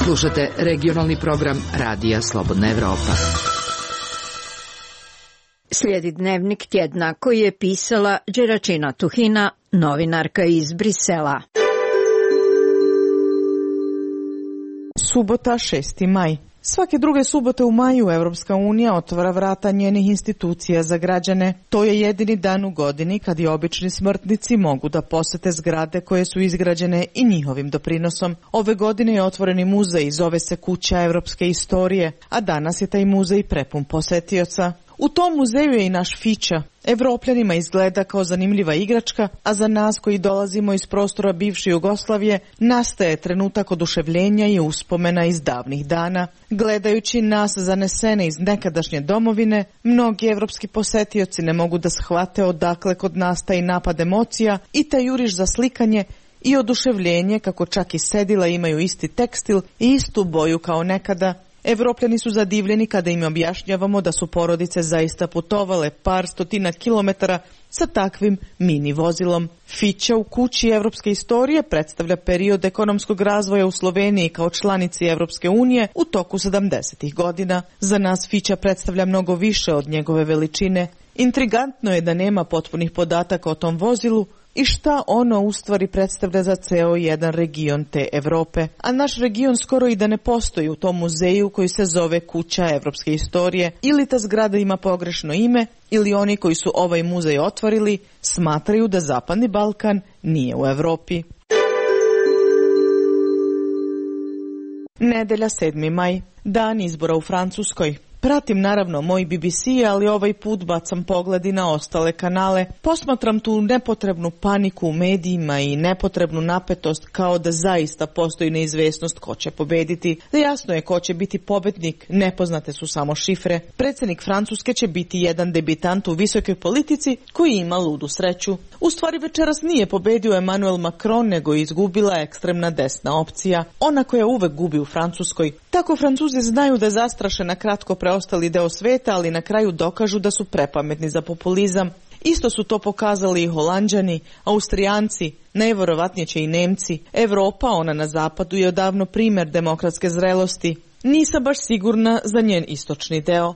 [SPEAKER 3] Slušate regionalni program Radija Slobodna Evropa.
[SPEAKER 1] Slijedi dnevnik tjedna koji je pisala Đeračina Tuhina, novinarka iz Brisela.
[SPEAKER 11] Subota, šesti maj. Svake druge subote u maju Evropska unija otvara vrata njenih institucija za građane. To je jedini dan u godini kad i obični smrtnici mogu da posete zgrade koje su izgrađene i njihovim doprinosom. Ove godine je otvoreni muzej, zove se Kuća evropske istorije, a danas je taj muzej prepun posetioca. U tom muzeju je i naš Fića. Evropljanima izgleda kao zanimljiva igračka, a za nas koji dolazimo iz prostora bivše Jugoslavije nastaje trenutak oduševljenja i uspomena iz davnih dana. Gledajući nas zanesene iz nekadašnje domovine, mnogi evropski posetioci ne mogu da shvate odakle kod nas taj napad emocija i taj juriš za slikanje i oduševljenje kako čak i sedila imaju isti tekstil i istu boju kao nekada. Evropljani su zadivljeni kada im objašnjavamo da su porodice zaista putovale par stotina kilometara sa takvim mini vozilom. Fića u Kući evropske istorije predstavlja period ekonomskog razvoja u Sloveniji kao članici Evropske unije u toku sedamdesetih godina. Za nas Fića predstavlja mnogo više od njegove veličine. Intrigantno je da nema potpunih podataka o tom vozilu i šta ono u stvari predstavlja za ceo jedan region te Evrope. A naš region skoro i da ne postoji u tom muzeju koji se zove Kuća evropske istorije. Ili ta zgrada ima pogrešno ime, ili oni koji su ovaj muzej otvorili smatraju da Zapadni Balkan nije u Evropi. Nedelja, sedmi maj, dan izbora u Francuskoj. Pratim naravno moj B B C, ali ovaj put bacam pogledi na ostale kanale. Posmatram tu nepotrebnu paniku u medijima i nepotrebnu napetost kao da zaista postoji neizvesnost ko će pobediti. Jasno je ko će biti pobednik, nepoznate su samo šifre. Predsjednik Francuske će biti jedan debitant u visokoj politici koji ima ludu sreću. U stvari večeras nije pobedio Emmanuel Macron, nego je izgubila ekstremna desna opcija. Ona koja uvek gubi u Francuskoj. Tako Francuzi znaju da zastraše na kratko preostali deo sveta, ali na kraju dokažu da su prepametni za populizam. Isto su to pokazali i Holanđani, Austrijanci, najverovatnije će i Nemci. Evropa, ona na zapadu, je odavno primjer demokratske zrelosti. Nisam baš sigurna za njen istočni deo.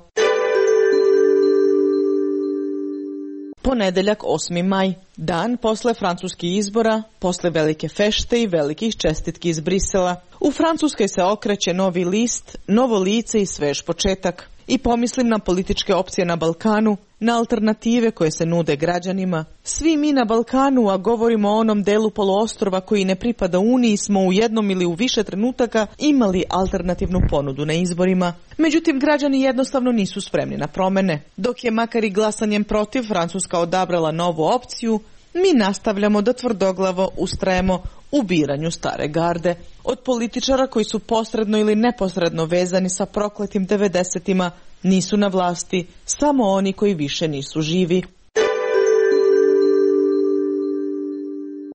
[SPEAKER 11] Ponedeljak, osmi maj, dan posle francuskih izbora, posle velike fešte i velikih čestitki iz Brisela. U Francuskoj se okreće novi list, novo lice i svež početak. I pomislim na političke opcije na Balkanu, na alternative koje se nude građanima. Svi mi na Balkanu, a govorimo o onom delu poluostrva koji ne pripada Uniji, smo u jednom ili u više trenutaka imali alternativnu ponudu na izborima. Međutim, građani jednostavno nisu spremni na promene. Dok je makar i glasanjem protiv Francuska odabrala novu opciju, mi nastavljamo da tvrdoglavo ustrajemo u biranju stare garde. Od političara koji su posredno ili neposredno vezani sa prokletim devedesetima nisu na vlasti, samo oni koji više nisu živi.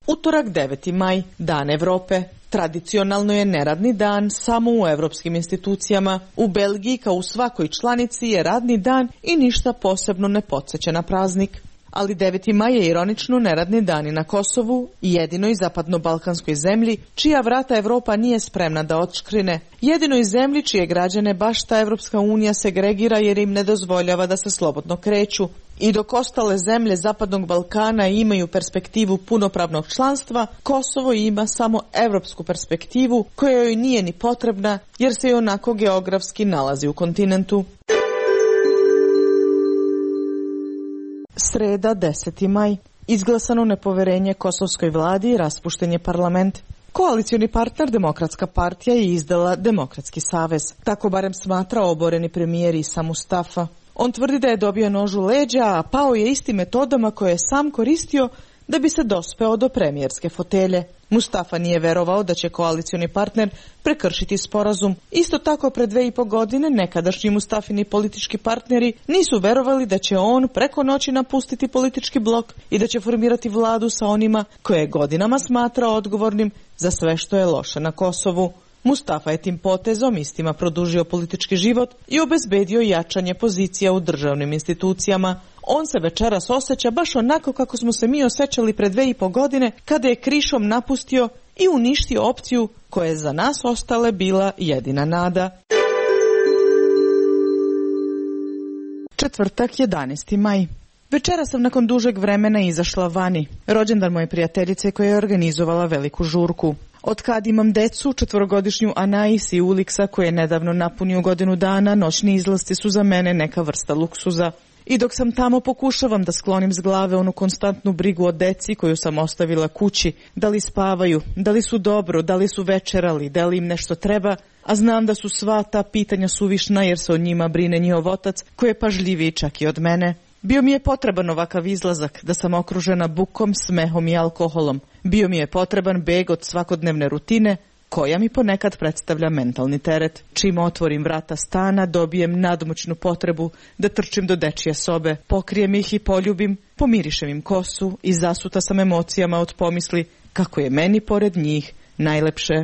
[SPEAKER 11] Utorak, deveti maj, dan Evrope. Tradicionalno je neradni dan samo u evropskim institucijama. U Belgiji, kao u svakoj članici, je radni dan i ništa posebno ne podsjeća na praznik. Ali deveti maj je ironično neradni dan i na Kosovu, jedinoj zapadno-balkanskoj zemlji, čija vrata Evropa nije spremna da odškrine. Jedinoj zemlji čije građane baš ta Evropska unija segregira jer im ne dozvoljava da se slobodno kreću. I dok ostale zemlje Zapadnog Balkana imaju perspektivu punopravnog članstva, Kosovo ima samo evropsku perspektivu koja joj nije ni potrebna jer se i onako geografski nalazi u kontinentu. Sreda, deseti maj. Izglasano nepoverenje kosovskoj vladi i raspušten je parlament. Koalicioni partner Demokratska partija je izdala Demokratski savez. Tako barem smatra oboreni premijer Isa Mustafa. On tvrdi da je dobio nož u leđa, a pao je istim metodama koje je sam koristio da bi se dospeo do premijerske fotelje. Mustafa nije verovao da će koalicioni partner prekršiti sporazum. Isto tako pred dve i po godine nekadašnji Mustafini politički partneri nisu verovali da će on preko noći napustiti politički blok i da će formirati vladu sa onima koje je godinama smatrao odgovornim za sve što je loše na Kosovu. Mustafa je tim potezom istima produžio politički život i obezbedio jačanje pozicija u državnim institucijama. On se večeras osjeća baš onako kako smo se mi osjećali pred dve i po godine kada je krišom napustio i uništio opciju koja je za nas ostale bila jedina nada. Četvrtak, jedanaesti maj. Večera sam nakon dužeg vremena izašla vani. Rođendan moje prijateljice koja je organizovala veliku žurku. Od kad imam decu, četvorogodišnju Anais i Uliksa koje je nedavno napunio godinu dana, noćni izlasti su za mene neka vrsta luksuza. I dok sam tamo pokušavam da sklonim s glave onu konstantnu brigu o deci koju sam ostavila kući, da li spavaju, da li su dobro, da li su večerali, da li im nešto treba, a znam da su sva ta pitanja suvišna jer se o njima brine njihov otac koji je pažljiviji čak i od mene. Bio mi je potreban ovakav izlazak, da sam okružena bukom, smehom i alkoholom. Bio mi je potreban beg od svakodnevne rutine, koja mi ponekad predstavlja mentalni teret. Čim otvorim vrata stana, dobijem nadmoćnu potrebu da trčim do dečije sobe, pokrijem ih i poljubim, pomirišem im kosu i zasuta sam emocijama od pomisli kako je meni pored njih najlepše.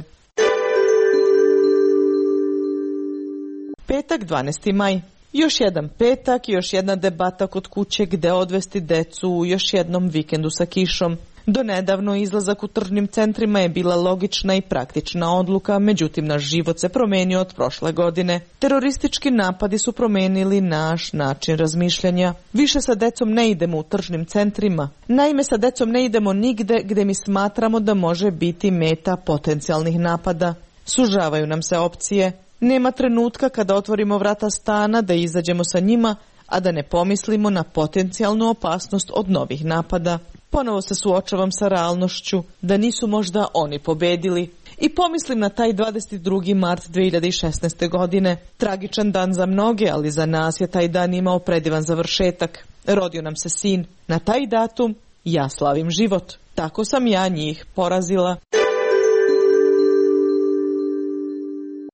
[SPEAKER 11] Petak, dvanaesti maj. Još jedan petak, još jedna debata kod kuće gde odvesti decu u još jednom vikendu sa kišom. Do nedavno izlazak u tržnim centrima je bila logična i praktična odluka, međutim naš život se promenio od prošle godine. Teroristički napadi su promenili naš način razmišljanja. Više sa decom ne idemo u tržnim centrima. Naime, sa decom ne idemo nigde gde mi smatramo da može biti meta potencijalnih napada. Sužavaju nam se opcije. Nema trenutka kada otvorimo vrata stana da izađemo sa njima, a da ne pomislimo na potencijalnu opasnost od novih napada. Ponovo se suočavam sa realnošću da nisu možda oni pobedili. I pomislim na taj dvadeset drugi mart dve hiljade šesnaeste. godine. Tragičan dan za mnoge, ali za nas je taj dan imao predivan završetak. Rodio nam se sin. Na taj datum ja slavim život. Tako sam ja njih porazila.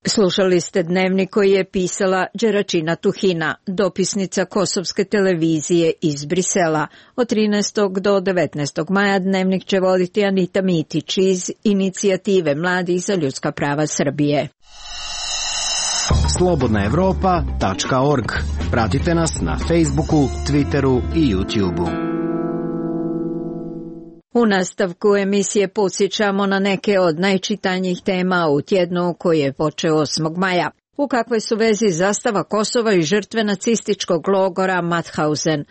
[SPEAKER 1] Slušali ste dnevnik koji je pisala Đeračina Tuhina, dopisnica Kosovske televizije iz Brisela. Od trinaestog do devetnaestog maja dnevnik će voditi Anita Mitić iz Inicijative mladih za ljudska prava Srbije.
[SPEAKER 12] slobodna evropa tačka org. Pratite nas na Facebooku, Twitteru i YouTubeu.
[SPEAKER 1] U nastavku emisije podsjećamo na neke od najčitanjih tema u tjednu koji je počeo osmog maja. U kakvoj su vezi zastava Kosova i žrtve nacističkog logora Mauthausen?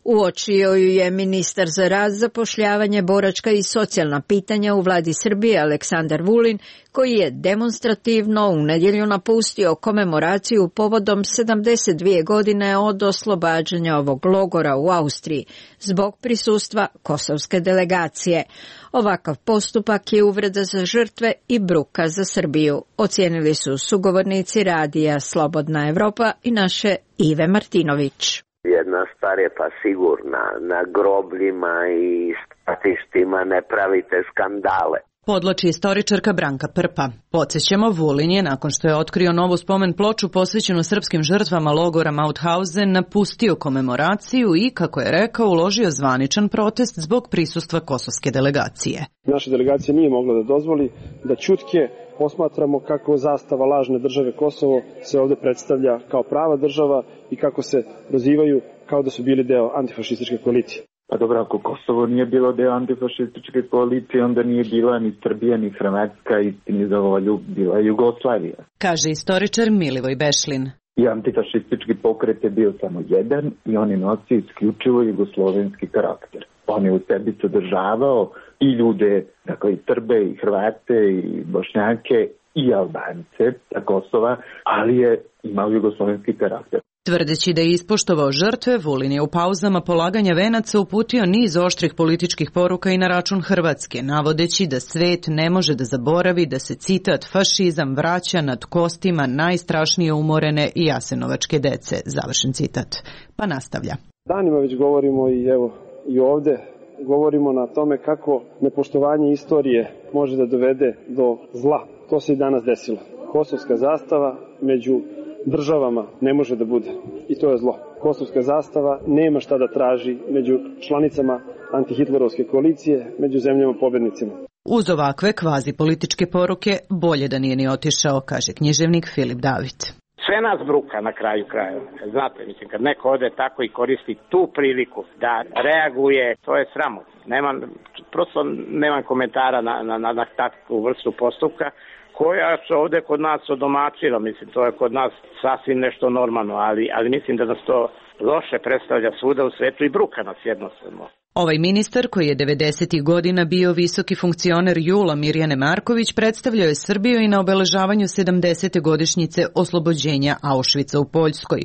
[SPEAKER 1] Uočio ju je ministar za rad, zapošljavanje, boračka i socijalna pitanja u vladi Srbije Aleksandar Vulin, koji je demonstrativno u nedjelju napustio komemoraciju povodom sedamdeset dvije godine od oslobađanja ovog logora u Austriji zbog prisustva kosovske delegacije. Ovakav postupak je uvreda za žrtve i bruka za Srbiju, ocijenili su sugovornici radija Slobodna Evropa i naše Ive Martinović.
[SPEAKER 13] Jedna stvar je pa sigurna, na grobljima i stratištima ne pravite skandale.
[SPEAKER 14] Podlači istoričarka Branka Prpa. Podsjećamo, Vulin je, nakon što je otkrio novu spomen ploču posvećenu srpskim žrtvama logora Mauthausen, napustio komemoraciju i, kako je rekao, uložio zvaničan protest zbog prisustva kosovske delegacije.
[SPEAKER 24] Naša delegacija nije mogla da dozvoli da ćutke posmatramo kako zastava lažne države Kosovo se ovde predstavlja kao prava država i kako se prozivaju kao da su bili deo antifašističke koalicije.
[SPEAKER 25] Pa dobro, ako Kosovo nije bilo deo antifašističke koalicije, onda nije bila ni Srbija, ni Hrvatska, istini za volju bila Jugoslavija.
[SPEAKER 14] Kaže istoričar Milivoj Bešlin.
[SPEAKER 25] I antifašistički pokret je bio samo jedan i on je nosio isključivo jugoslovenski karakter. On je u sebi sadržavao i ljude, dakle i Srbe, i Hrvate, i Bošnjake, i Albance sa Kosova, ali je imao jugoslovenski karakter.
[SPEAKER 14] Tvrdeći da je ispoštovao žrtve, Vulin je u pauzama polaganja venaca uputio niz oštrih političkih poruka i na račun Hrvatske, navodeći da svet ne može da zaboravi da se, citat, fašizam vraća nad kostima najstrašnije umorene i jasenovačke dece, završen citat. Pa nastavlja.
[SPEAKER 24] Danima već govorimo i evo i ovde govorimo na tome kako nepoštovanje istorije može da dovede do zla. To se i danas desilo. Kosovska zastava među državama ne može da bude. I to je zlo. Kosovska zastava nema šta da traži među članicama antihitlerovske koalicije, među zemljama pobednicima.
[SPEAKER 14] Uz ovakve kvazi političke poruke bolje da nije ni otišao, kaže književnik Filip David.
[SPEAKER 5] Sve nas bruka na kraju krajeva. Znate, mislim, kad neko ode tako i koristi tu priliku da reaguje, to je sramotno. Nemam, prosto nemam komentara na, na, na, na takvu vrstu postupka, koja se ovde kod nas odomačila, mislim, to je kod nas sasvim nešto normalno, ali, ali mislim da nas to loše predstavlja svuda u svetu i bruka nas jednostavno.
[SPEAKER 14] Ovaj ministar, koji je devedesetih godina bio visoki funkcioner Jula Mirjane Marković, predstavljao je Srbiju i na obeležavanju sedamdesete godišnjice oslobođenja Auschwitza u Poljskoj.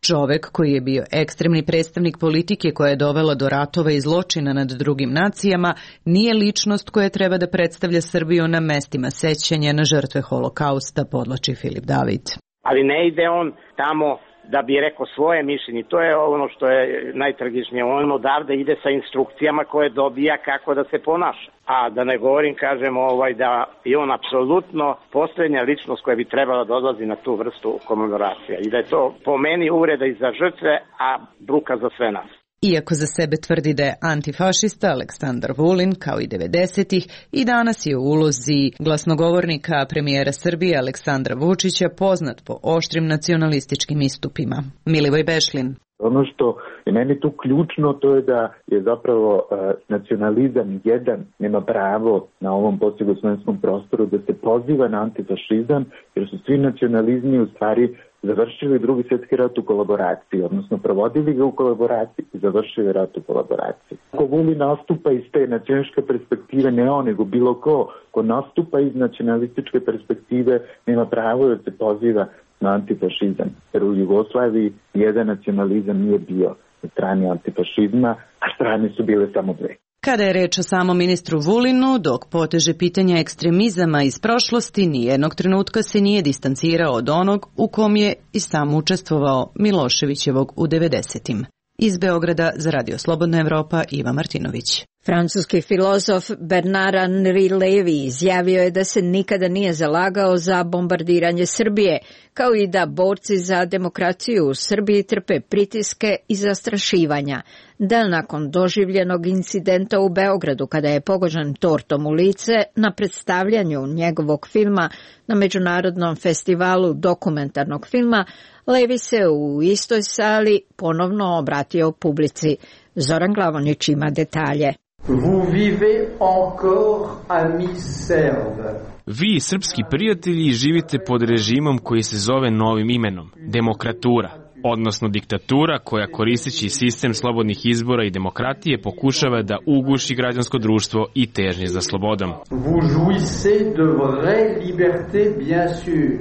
[SPEAKER 14] Čovek koji je bio ekstremni predstavnik politike koja je dovela do ratova i zločina nad drugim nacijama, nije ličnost koja treba da predstavlja Srbiju na mestima sećanja na žrtve holokausta, podlači Filip David.
[SPEAKER 5] Ali ne ide on tamo da bi rekao svoje mišljenje. To je ono što je najtragičnije. On odavde ide sa instrukcijama koje dobija kako da se ponaša. A da ne govorim, kažem, ovaj, da je on apsolutno posljednja ličnost koja bi trebala da odlazi na tu vrstu komemoracija. I da je to po meni uvreda i za žrtve, a bruka za sve nas.
[SPEAKER 14] Iako za sebe tvrdi da je antifašista, Aleksandar Vulin, kao i devedesetih, i danas je u ulozi glasnogovornika premijera Srbije Aleksandra Vučića poznat po oštrim nacionalističkim istupima. Milivoj Bešlin.
[SPEAKER 25] Ono što je meni tu ključno, to je da je zapravo uh, nacionalizam jedan nema pravo na ovom postjugoslovenskom prostoru da se poziva na antifašizam, jer su svi nacionalizmi u stvari završili drugi svjetski rat u kolaboraciji, odnosno provodili ga u kolaboraciji i završili rat u kolaboraciji. Ako Vulin nastupa iz te nacionalističke perspektive, ne on, nego bilo ko, ko nastupa iz nacionalističke perspektive, nema pravo da se poziva na antifašizam. Jer u Jugoslaviji jedan nacionalizam nije bio na strani antifašizma, a strane su bile samo dve.
[SPEAKER 14] Kada je reč o samom ministru Vulinu, dok poteže pitanja ekstremizama iz prošlosti, nijednog trenutka se nije distancirao od onog u kom je i sam učestvovao Miloševićevog u devedesetim. Iz Beograda za Radio Slobodna Evropa, Iva Martinović.
[SPEAKER 1] Francuski filozof Bernard-Henri Lévy izjavio je da se nikada nije zalagao za bombardiranje Srbije, kao i da borci za demokraciju u Srbiji trpe pritiske i zastrašivanja. Da nakon doživljenog incidenta u Beogradu, kada je pogođen tortom u lice na predstavljanju njegovog filma na Međunarodnom festivalu dokumentarnog filma, Lévy se u istoj sali ponovno obratio publici. Zoran Glavonić ima detalje.
[SPEAKER 15] Vous vivez encore, amis Serbes.
[SPEAKER 26] Vi, srpski prijatelji, živite pod režimom koji se zove novim imenom, demokratura, odnosno diktatura koja koristeći sistem slobodnih izbora i demokratije pokušava da uguši građansko društvo i težnje za slobodom.
[SPEAKER 15] Vous jouissez de vraie liberté, bien sûr.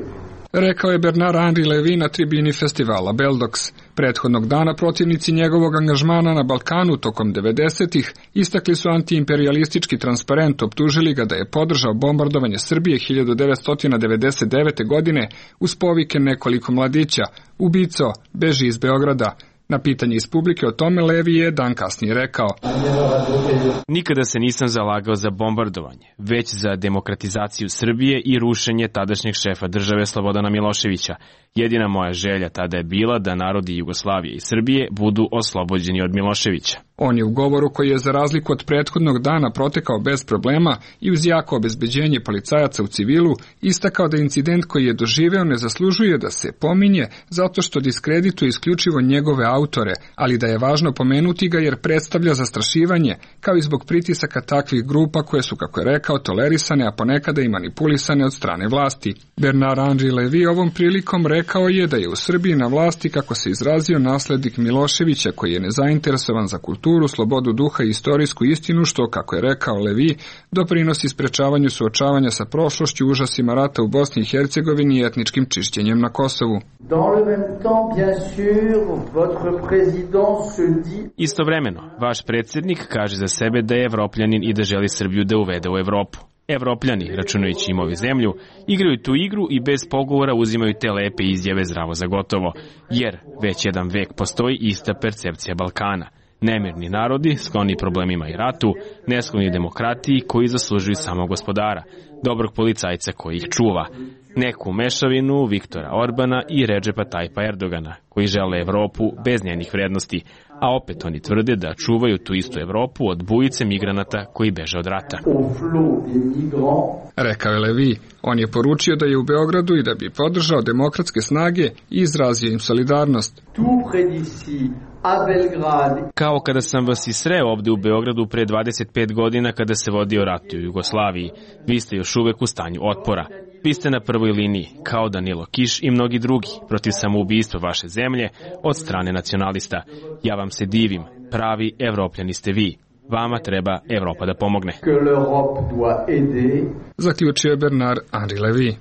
[SPEAKER 16] Rekao je Bernard-Henri Lévy na tribini festivala Beldox. Prethodnog dana protivnici njegovog angažmana na Balkanu tokom devedesetih istakli su antiimperialistički transparent, optužili ga da je podržao bombardovanje Srbije hiljadu devetsto devedeset devete. godine uz povike nekoliko mladića: ubico, beži iz Beograda. Na pitanje iz publike o tome Lévy je dan kasnije rekao:
[SPEAKER 26] Nikada se nisam zalagao za bombardovanje, već za demokratizaciju Srbije i rušenje tadašnjeg šefa države Slobodana Miloševića. Jedina moja želja tada je bila da narodi Jugoslavije i Srbije budu oslobođeni od Miloševića.
[SPEAKER 16] On je u govoru, koji je za razliku od prethodnog dana protekao bez problema i uz jako obezbeđenje policajaca u civilu, istakao da incident koji je doživeo ne zaslužuje da se pominje zato što diskredituje isključivo njegove autore, ali da je važno pomenuti ga jer predstavlja zastrašivanje, kao i zbog pritisaka takvih grupa koje su, kako je rekao, tolerisane, a ponekada i manipulisane od strane vlasti. Bernard-Henri Lévy ovom prilikom rekao je da je u Srbiji na vlasti, kako se izrazio, naslednik Miloševića, koji je nezainteresovan za kulturu kulturu, slobodu duha i istorijsku istinu, što, kako je rekao Levi, doprinosi sprečavanju suočavanja sa prošlošću, užasima rata u Bosni i Hercegovini i etničkim čišćenjem na Kosovu.
[SPEAKER 26] Istovremeno, vaš predsjednik kaže za sebe da je evropljanin i da želi Srbiju da uvede u Evropu. Evropljani, računajući im ovu zemlju, igraju tu igru i bez pogovora uzimaju te lepe izjave zdravo za gotovo, jer već jedan vek postoji ista percepcija Balkana. Nemirni narodi, skloni problemima i ratu, neskloni demokratiji koji zaslužuju samo gospodara, dobrog policajca koji ih čuva, neku mešavinu Viktora Orbana i Redžepa Tajpa Erdogana, koji žele Evropu bez njenih vrednosti, a opet oni tvrde da čuvaju tu istu Evropu od bujice migranata koji beže od rata.
[SPEAKER 16] Rekao je Levi, on je poručio da je u Beogradu i da bi podržao demokratske snage i izrazio im solidarnost.
[SPEAKER 26] Kao kada sam vas i sreo ovde u Beogradu pre dvadeset pet godina kada se vodio rat u Jugoslaviji, vi ste još uvek u stanju otpora. Vi ste na prvoj liniji, kao Danilo Kiš i mnogi drugi, protiv samoubistva vaše zemlje od strane nacionalista. Ja vam se divim, pravi evropljani ste vi. Vama treba Evropa da pomogne.
[SPEAKER 16] Zaključio je Bernard Henri Levi.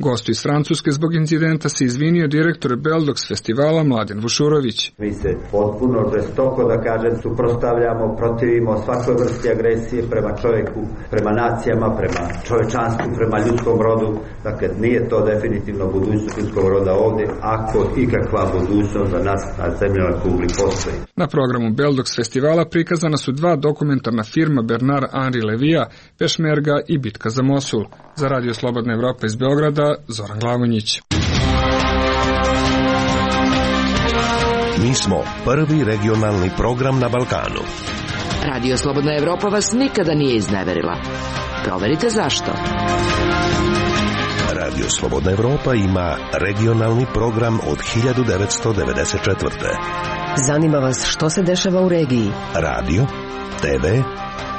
[SPEAKER 16] Gostu iz Francuske zbog incidenta se izvinio direktor Beldox festivala Mladen Vušurović.
[SPEAKER 6] Mi se potpuno žestoko, da kažem, suprotstavljamo, protivimo svakoj vrsti agresije prema čovjeku, prema nacijama, prema čovečanstvu, prema ljudskom rodu. Dakle, nije to definitivno budućnost ljudskog roda ovdje, ako ikakva budućnost za nas na zemljama kugli postoji.
[SPEAKER 16] Na programu Beldox festivala prikazana su dva dokumentarna filma Bernard Henri Levija, Pešmerga i Bitka za Mosul. Za Radio Slobodna Evropa iz Beograda, Zoran Glavonjić.
[SPEAKER 8] Mi smo prvi regionalni program na Balkanu.
[SPEAKER 3] Radio Slobodna Evropa vas nikada nije izneverila. Proverite zašto.
[SPEAKER 8] Radio Slobodna Evropa ima regionalni program od hiljadu devetsto devedeset četvrte.
[SPEAKER 10] Zanima vas što se dešava u regiji?
[SPEAKER 8] Radio, te ve,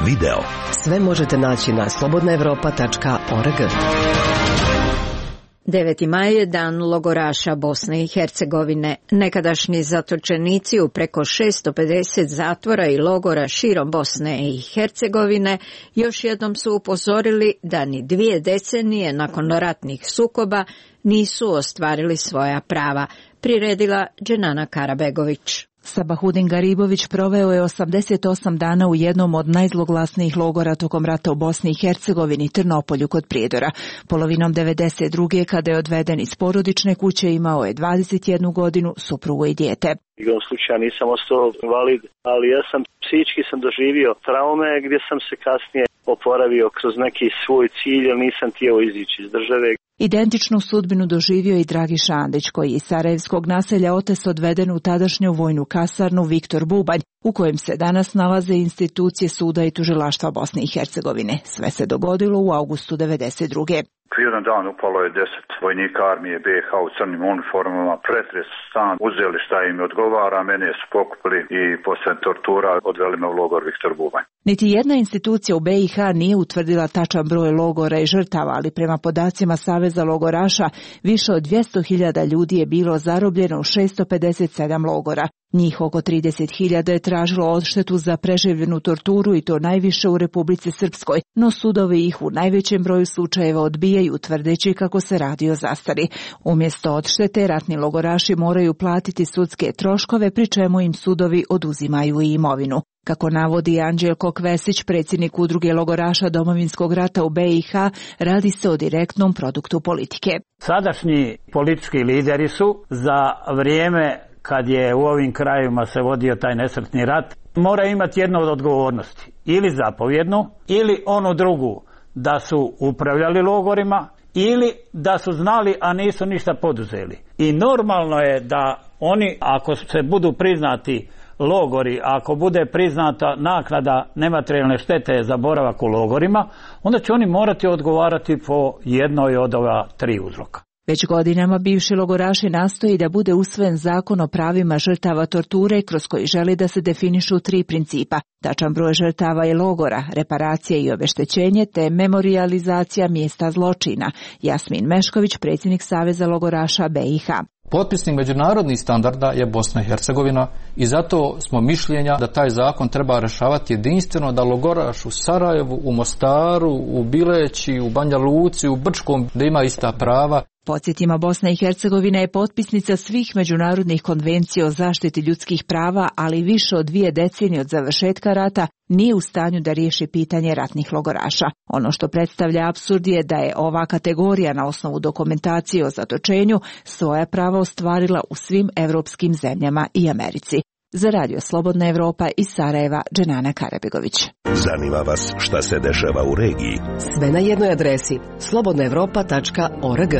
[SPEAKER 8] video.
[SPEAKER 10] Sve možete naći na slobodna evropa tačka org.
[SPEAKER 1] deveti maj je dan logoraša Bosne i Hercegovine. Nekadašnji zatočenici u preko šesto pedeset zatvora i logora širom Bosne i Hercegovine još jednom su upozorili da ni dvije decenije nakon ratnih sukoba nisu ostvarili svoja prava, priredila Dženana Karabegović.
[SPEAKER 17] Sabahudin Garibović proveo je osamdeset osam dana u jednom od najzloglasnijih logora tokom rata u Bosni i Hercegovini, Trnopolju kod Prijedora. Polovinom devedeset druge kada je odveden iz porodične kuće, imao je dvadeset jednu godinu, suprugu i dijete.
[SPEAKER 7] Igrom slučaja nisam ostao invalid, ali ja sam psihički sam doživio traume gdje sam se kasnije oporavio kroz neki svoj cilj, jer nisam htio izići iz države.
[SPEAKER 17] Identičnu sudbinu doživio i Dragi Šandić, koji iz sarajevskog naselja Otes odveden u tadašnju vojnu kasarnu Viktor Bubanj, u kojem se danas nalaze institucije suda i tužilaštva Bosne i Hercegovine. Sve se dogodilo u avgustu devedeset druge.
[SPEAKER 18] Jedan dan upalo je deset vojnika armije be ha u crnim uniformama, pretres stan, uzeli šta im odgovara, mene su pokupili i posle tortura odveli me u logor Viktor Bubanj.
[SPEAKER 17] Niti jedna institucija u be i ha nije utvrdila tačan broj logora i žrtava, ali prema podacima Saveza logoraša više od dvjesto hiljada ljudi je bilo zarobljeno u šesto pedeset sedam logora. Njih oko trideset hiljada je tražilo odštetu za preživljenu torturu i to najviše u Republici Srpskoj, no sudovi ih u najvećem broju slučajeva odbijaju tvrdeći kako se radi o zastari. Umjesto odštete, ratni logoraši moraju platiti sudske troškove, pri čemu im sudovi oduzimaju i imovinu. Kako navodi Anđelko Kvesić, predsjednik udruge logoraša Domovinskog rata u be i ha, radi se o direktnom produktu politike.
[SPEAKER 19] Sadašnji politički lideri su za vrijeme kad je u ovim krajevima se vodio taj nesretni rat, mora imati jednu od odgovornosti, ili zapovjednu, ili onu drugu, da su upravljali logorima, ili da su znali, a nisu ništa poduzeli. I normalno je da oni, ako se budu priznati logori, ako bude priznata naknada nematerijalne štete za boravak u logorima, onda će oni morati odgovarati po jednoj od ova tri uzroka.
[SPEAKER 17] Već godinama bivši logoraši nastoji da bude usvojen zakon o pravima žrtava torture, kroz koji želi da se definišu tri principa: tačan broj žrtava i logora, reparacije i obeštećenje, te memorijalizacija mjesta zločina. Jasmin Mešković, predsjednik Saveza logoraša be i ha.
[SPEAKER 2] Potpisnik međunarodnih standarda je Bosna i Hercegovina i zato smo mišljenja da taj zakon treba rešavati jedinstveno, da logoraš u Sarajevu, u Mostaru, u Bileći, u Banja Luci, u Brčkom, da ima ista prava.
[SPEAKER 17] Podsjetimo, Bosna i Hercegovina je potpisnica svih međunarodnih konvencija o zaštiti ljudskih prava, ali više od dvije decenije od završetka rata nije u stanju da riješi pitanje ratnih logoraša. Ono što predstavlja apsurd je da je ova kategorija na osnovu dokumentacije o zatočenju svoja prava ostvarila u svim evropskim zemljama i Americi. Za Radio Slobodna Evropa iz Sarajeva, Dženana Karabegović.
[SPEAKER 8] Zanima vas šta se dešava u regiji?
[SPEAKER 10] Sve na jednoj adresi slobodna evropa tačka org.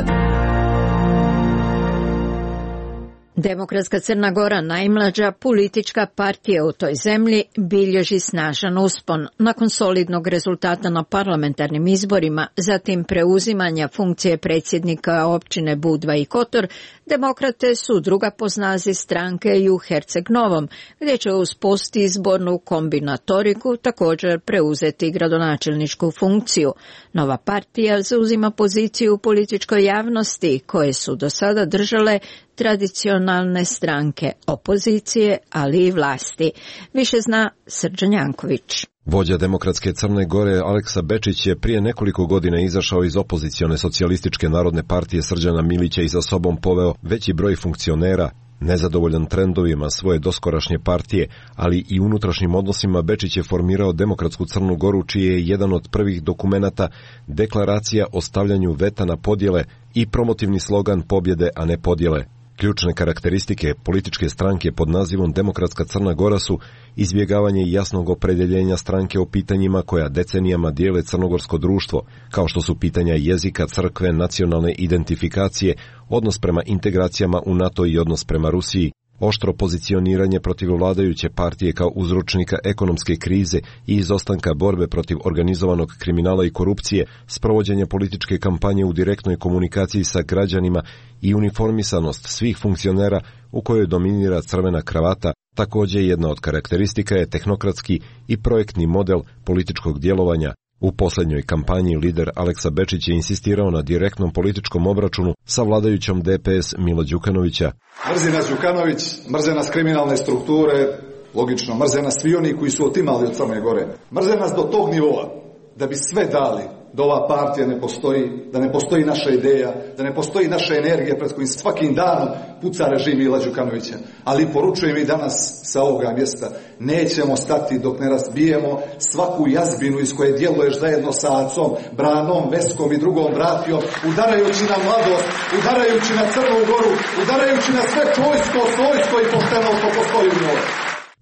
[SPEAKER 1] Demokratska Crna Gora, najmlađa politička partija u toj zemlji, bilježi snažan uspon. Nakon solidnog rezultata na parlamentarnim izborima, zatim preuzimanja funkcije predsjednika općine Budva i Kotor, demokrate su druga po snazi stranke i u Herceg Novom, gdje će uz postizbornu kombinatoriku također preuzeti gradonačelničku funkciju. Nova partija zauzima poziciju u političkoj javnosti koje su do sada držale tradicionalne stranke opozicije, ali i vlasti. Više zna Srđan Janković.
[SPEAKER 4] Vođa Demokratske Crne Gore Aleksa Bečić je prije nekoliko godina izašao iz opozicione socijalističke narodne partije Srđana Milića i za sobom poveo veći broj funkcionera. Nezadovoljan trendovima svoje doskorašnje partije, ali i unutrašnjim odnosima, Bečić je formirao Demokratsku Crnu Goru, čiji je jedan od prvih dokumenata deklaracija o stavljanju veta na podjele i promotivni slogan pobjede, a ne podjele. Ključne karakteristike političke stranke pod nazivom Demokratska Crna Gora su izbjegavanje jasnog opredjeljenja stranke o pitanjima koja decenijama dijele crnogorsko društvo, kao što su pitanja jezika, crkve, nacionalne identifikacije, odnos prema integracijama u NATO i odnos prema Rusiji, oštro pozicioniranje protiv vladajuće partije kao uzročnika ekonomske krize i izostanka borbe protiv organizovanog kriminala i korupcije, sprovođenje političke kampanje u direktnoj komunikaciji sa građanima i uniformisanost svih funkcionera u kojoj dominira crvena kravata. Također jedna od karakteristika je tehnokratski i projektni model političkog djelovanja. U posljednjoj kampanji lider Aleksa Bečić je insistirao na direktnom političkom obračunu sa vladajućom D P S Mila Đukanovića.
[SPEAKER 9] Mrzi nas Đukanović, mrze nas kriminalne strukture, logično, mrze nas svi oni koji su otimali od Crne Gore. Mrze nas do tog nivoa da bi sve dali da ova partija ne postoji, da ne postoji naša ideja, da ne postoji naša energija pred kojim svakim danom puca režim Mila Đukanovića. Ali poručujem i danas sa ovoga mjesta, nećemo stati dok ne razbijemo svaku jazbinu iz koje djeluješ zajedno sa Acom, Branom, Veskom i drugom bratijom, udarajući na mladost, udarajući na Crnu Goru, udarajući na sve čojsko, svojsko i pošteno što postoji u njoj.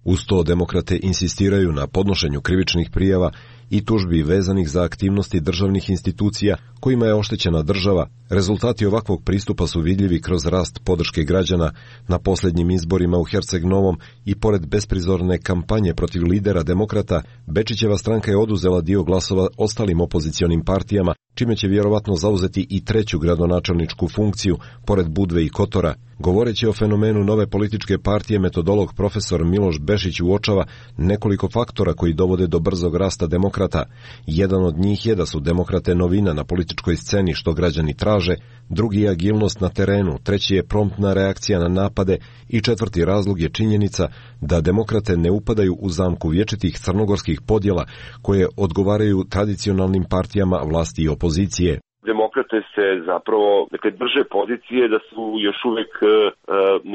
[SPEAKER 4] Uz to demokrate insistiraju na podnošenju krivičnih prijava i tužbi vezanih za aktivnosti državnih institucija kojima je oštećena država. Rezultati ovakvog pristupa su vidljivi kroz rast podrške građana na posljednjim izborima u Herceg Novom i pored besprizorne kampanje protiv lidera demokrata, Bečićeva stranka je oduzela dio glasova ostalim opozicionim partijama, čime će vjerovatno zauzeti i treću gradonačelničku funkciju, pored Budve i Kotora. Govoreći o fenomenu nove političke partije, metodolog profesor Miloš Bešić uočava nekoliko faktora koji dovode do brzog rasta demokrata. Jedan od njih je da su demokrate novina na političkoj sceni što građani traže, drugi je agilnost na terenu, treći je promptna reakcija na napade i četvrti razlog je činjenica da demokrate ne upadaju u zamku vječitih crnogorskih podjela koje odgovaraju tradicionalnim partijama vlasti i opozicije.
[SPEAKER 20] Demokrate se zapravo, dakle, drže pozicije da su još uvijek, e,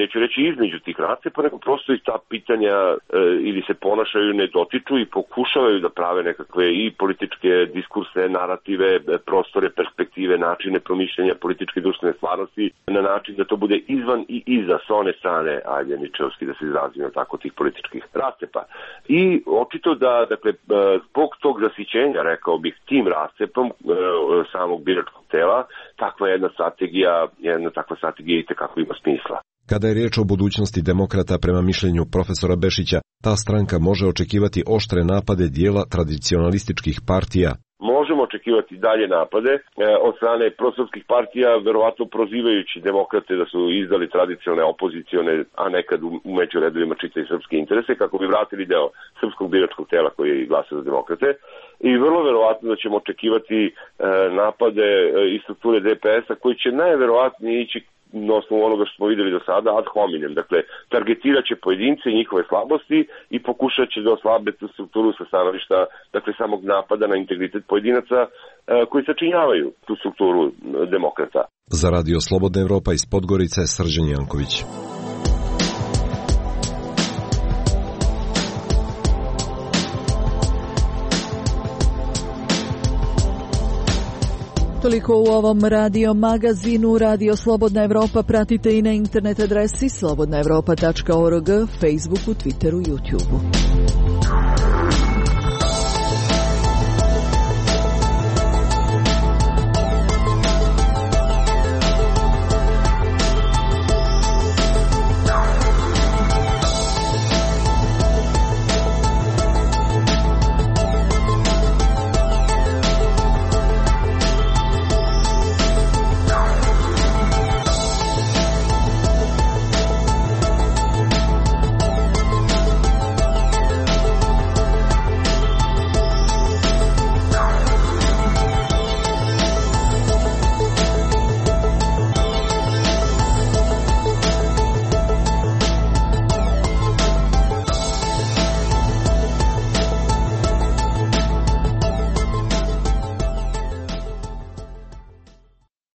[SPEAKER 20] neću reći između tih race, pa nego prosto i ta pitanja e, ili se ponašaju, ne dotiču i pokušavaju da prave nekakve i političke diskurse, narative, prostore, perspektive, načine promišljanja političke i društvene stvarnosti na način da to bude izvan i iza s one strane, ajde ničevski da se izrazimo tako, tih političkih rascepa. I očito da, dakle, zbog tog zasićenja, rekao bih, tim rascepom e, samog biračkog tela, takva jedna strategija, jedna takva strategija i tekako ima smisla.
[SPEAKER 4] Kada je riječ o budućnosti demokrata, prema mišljenju profesora Bešića, ta stranka može očekivati oštre napade dijela tradicionalističkih partija.
[SPEAKER 20] Možemo očekivati dalje napade e, od strane prosrpskih partija, verovatno prozivajući demokrate da su izdali tradicionalne opozicione, a nekad u, u među redovima čita i srpske interese, kako bi vratili deo srpskog biračkog tela koji je glasao za demokrate. I vrlo verovatno da ćemo očekivati e, napade e, iz strukture D P S-a koji će najverovatnije ići na osnovu onoga što smo videli do sada ad hominem. Dakle, targetirat će pojedince i njihove slabosti i pokušat će da oslabe tu strukturu sa stanovišta, dakle, samog napada na integritet pojedinaca koji sačinjavaju tu strukturu demokrata.
[SPEAKER 4] Za Radio Slobodna Evropa iz Podgorice, Srđan Janković.
[SPEAKER 17] Toliko u ovom radio magazinu. Radio Slobodna Evropa pratite i na internet adresi slobodna evropa tačka org, Facebooku, Twitteru, YouTubeu.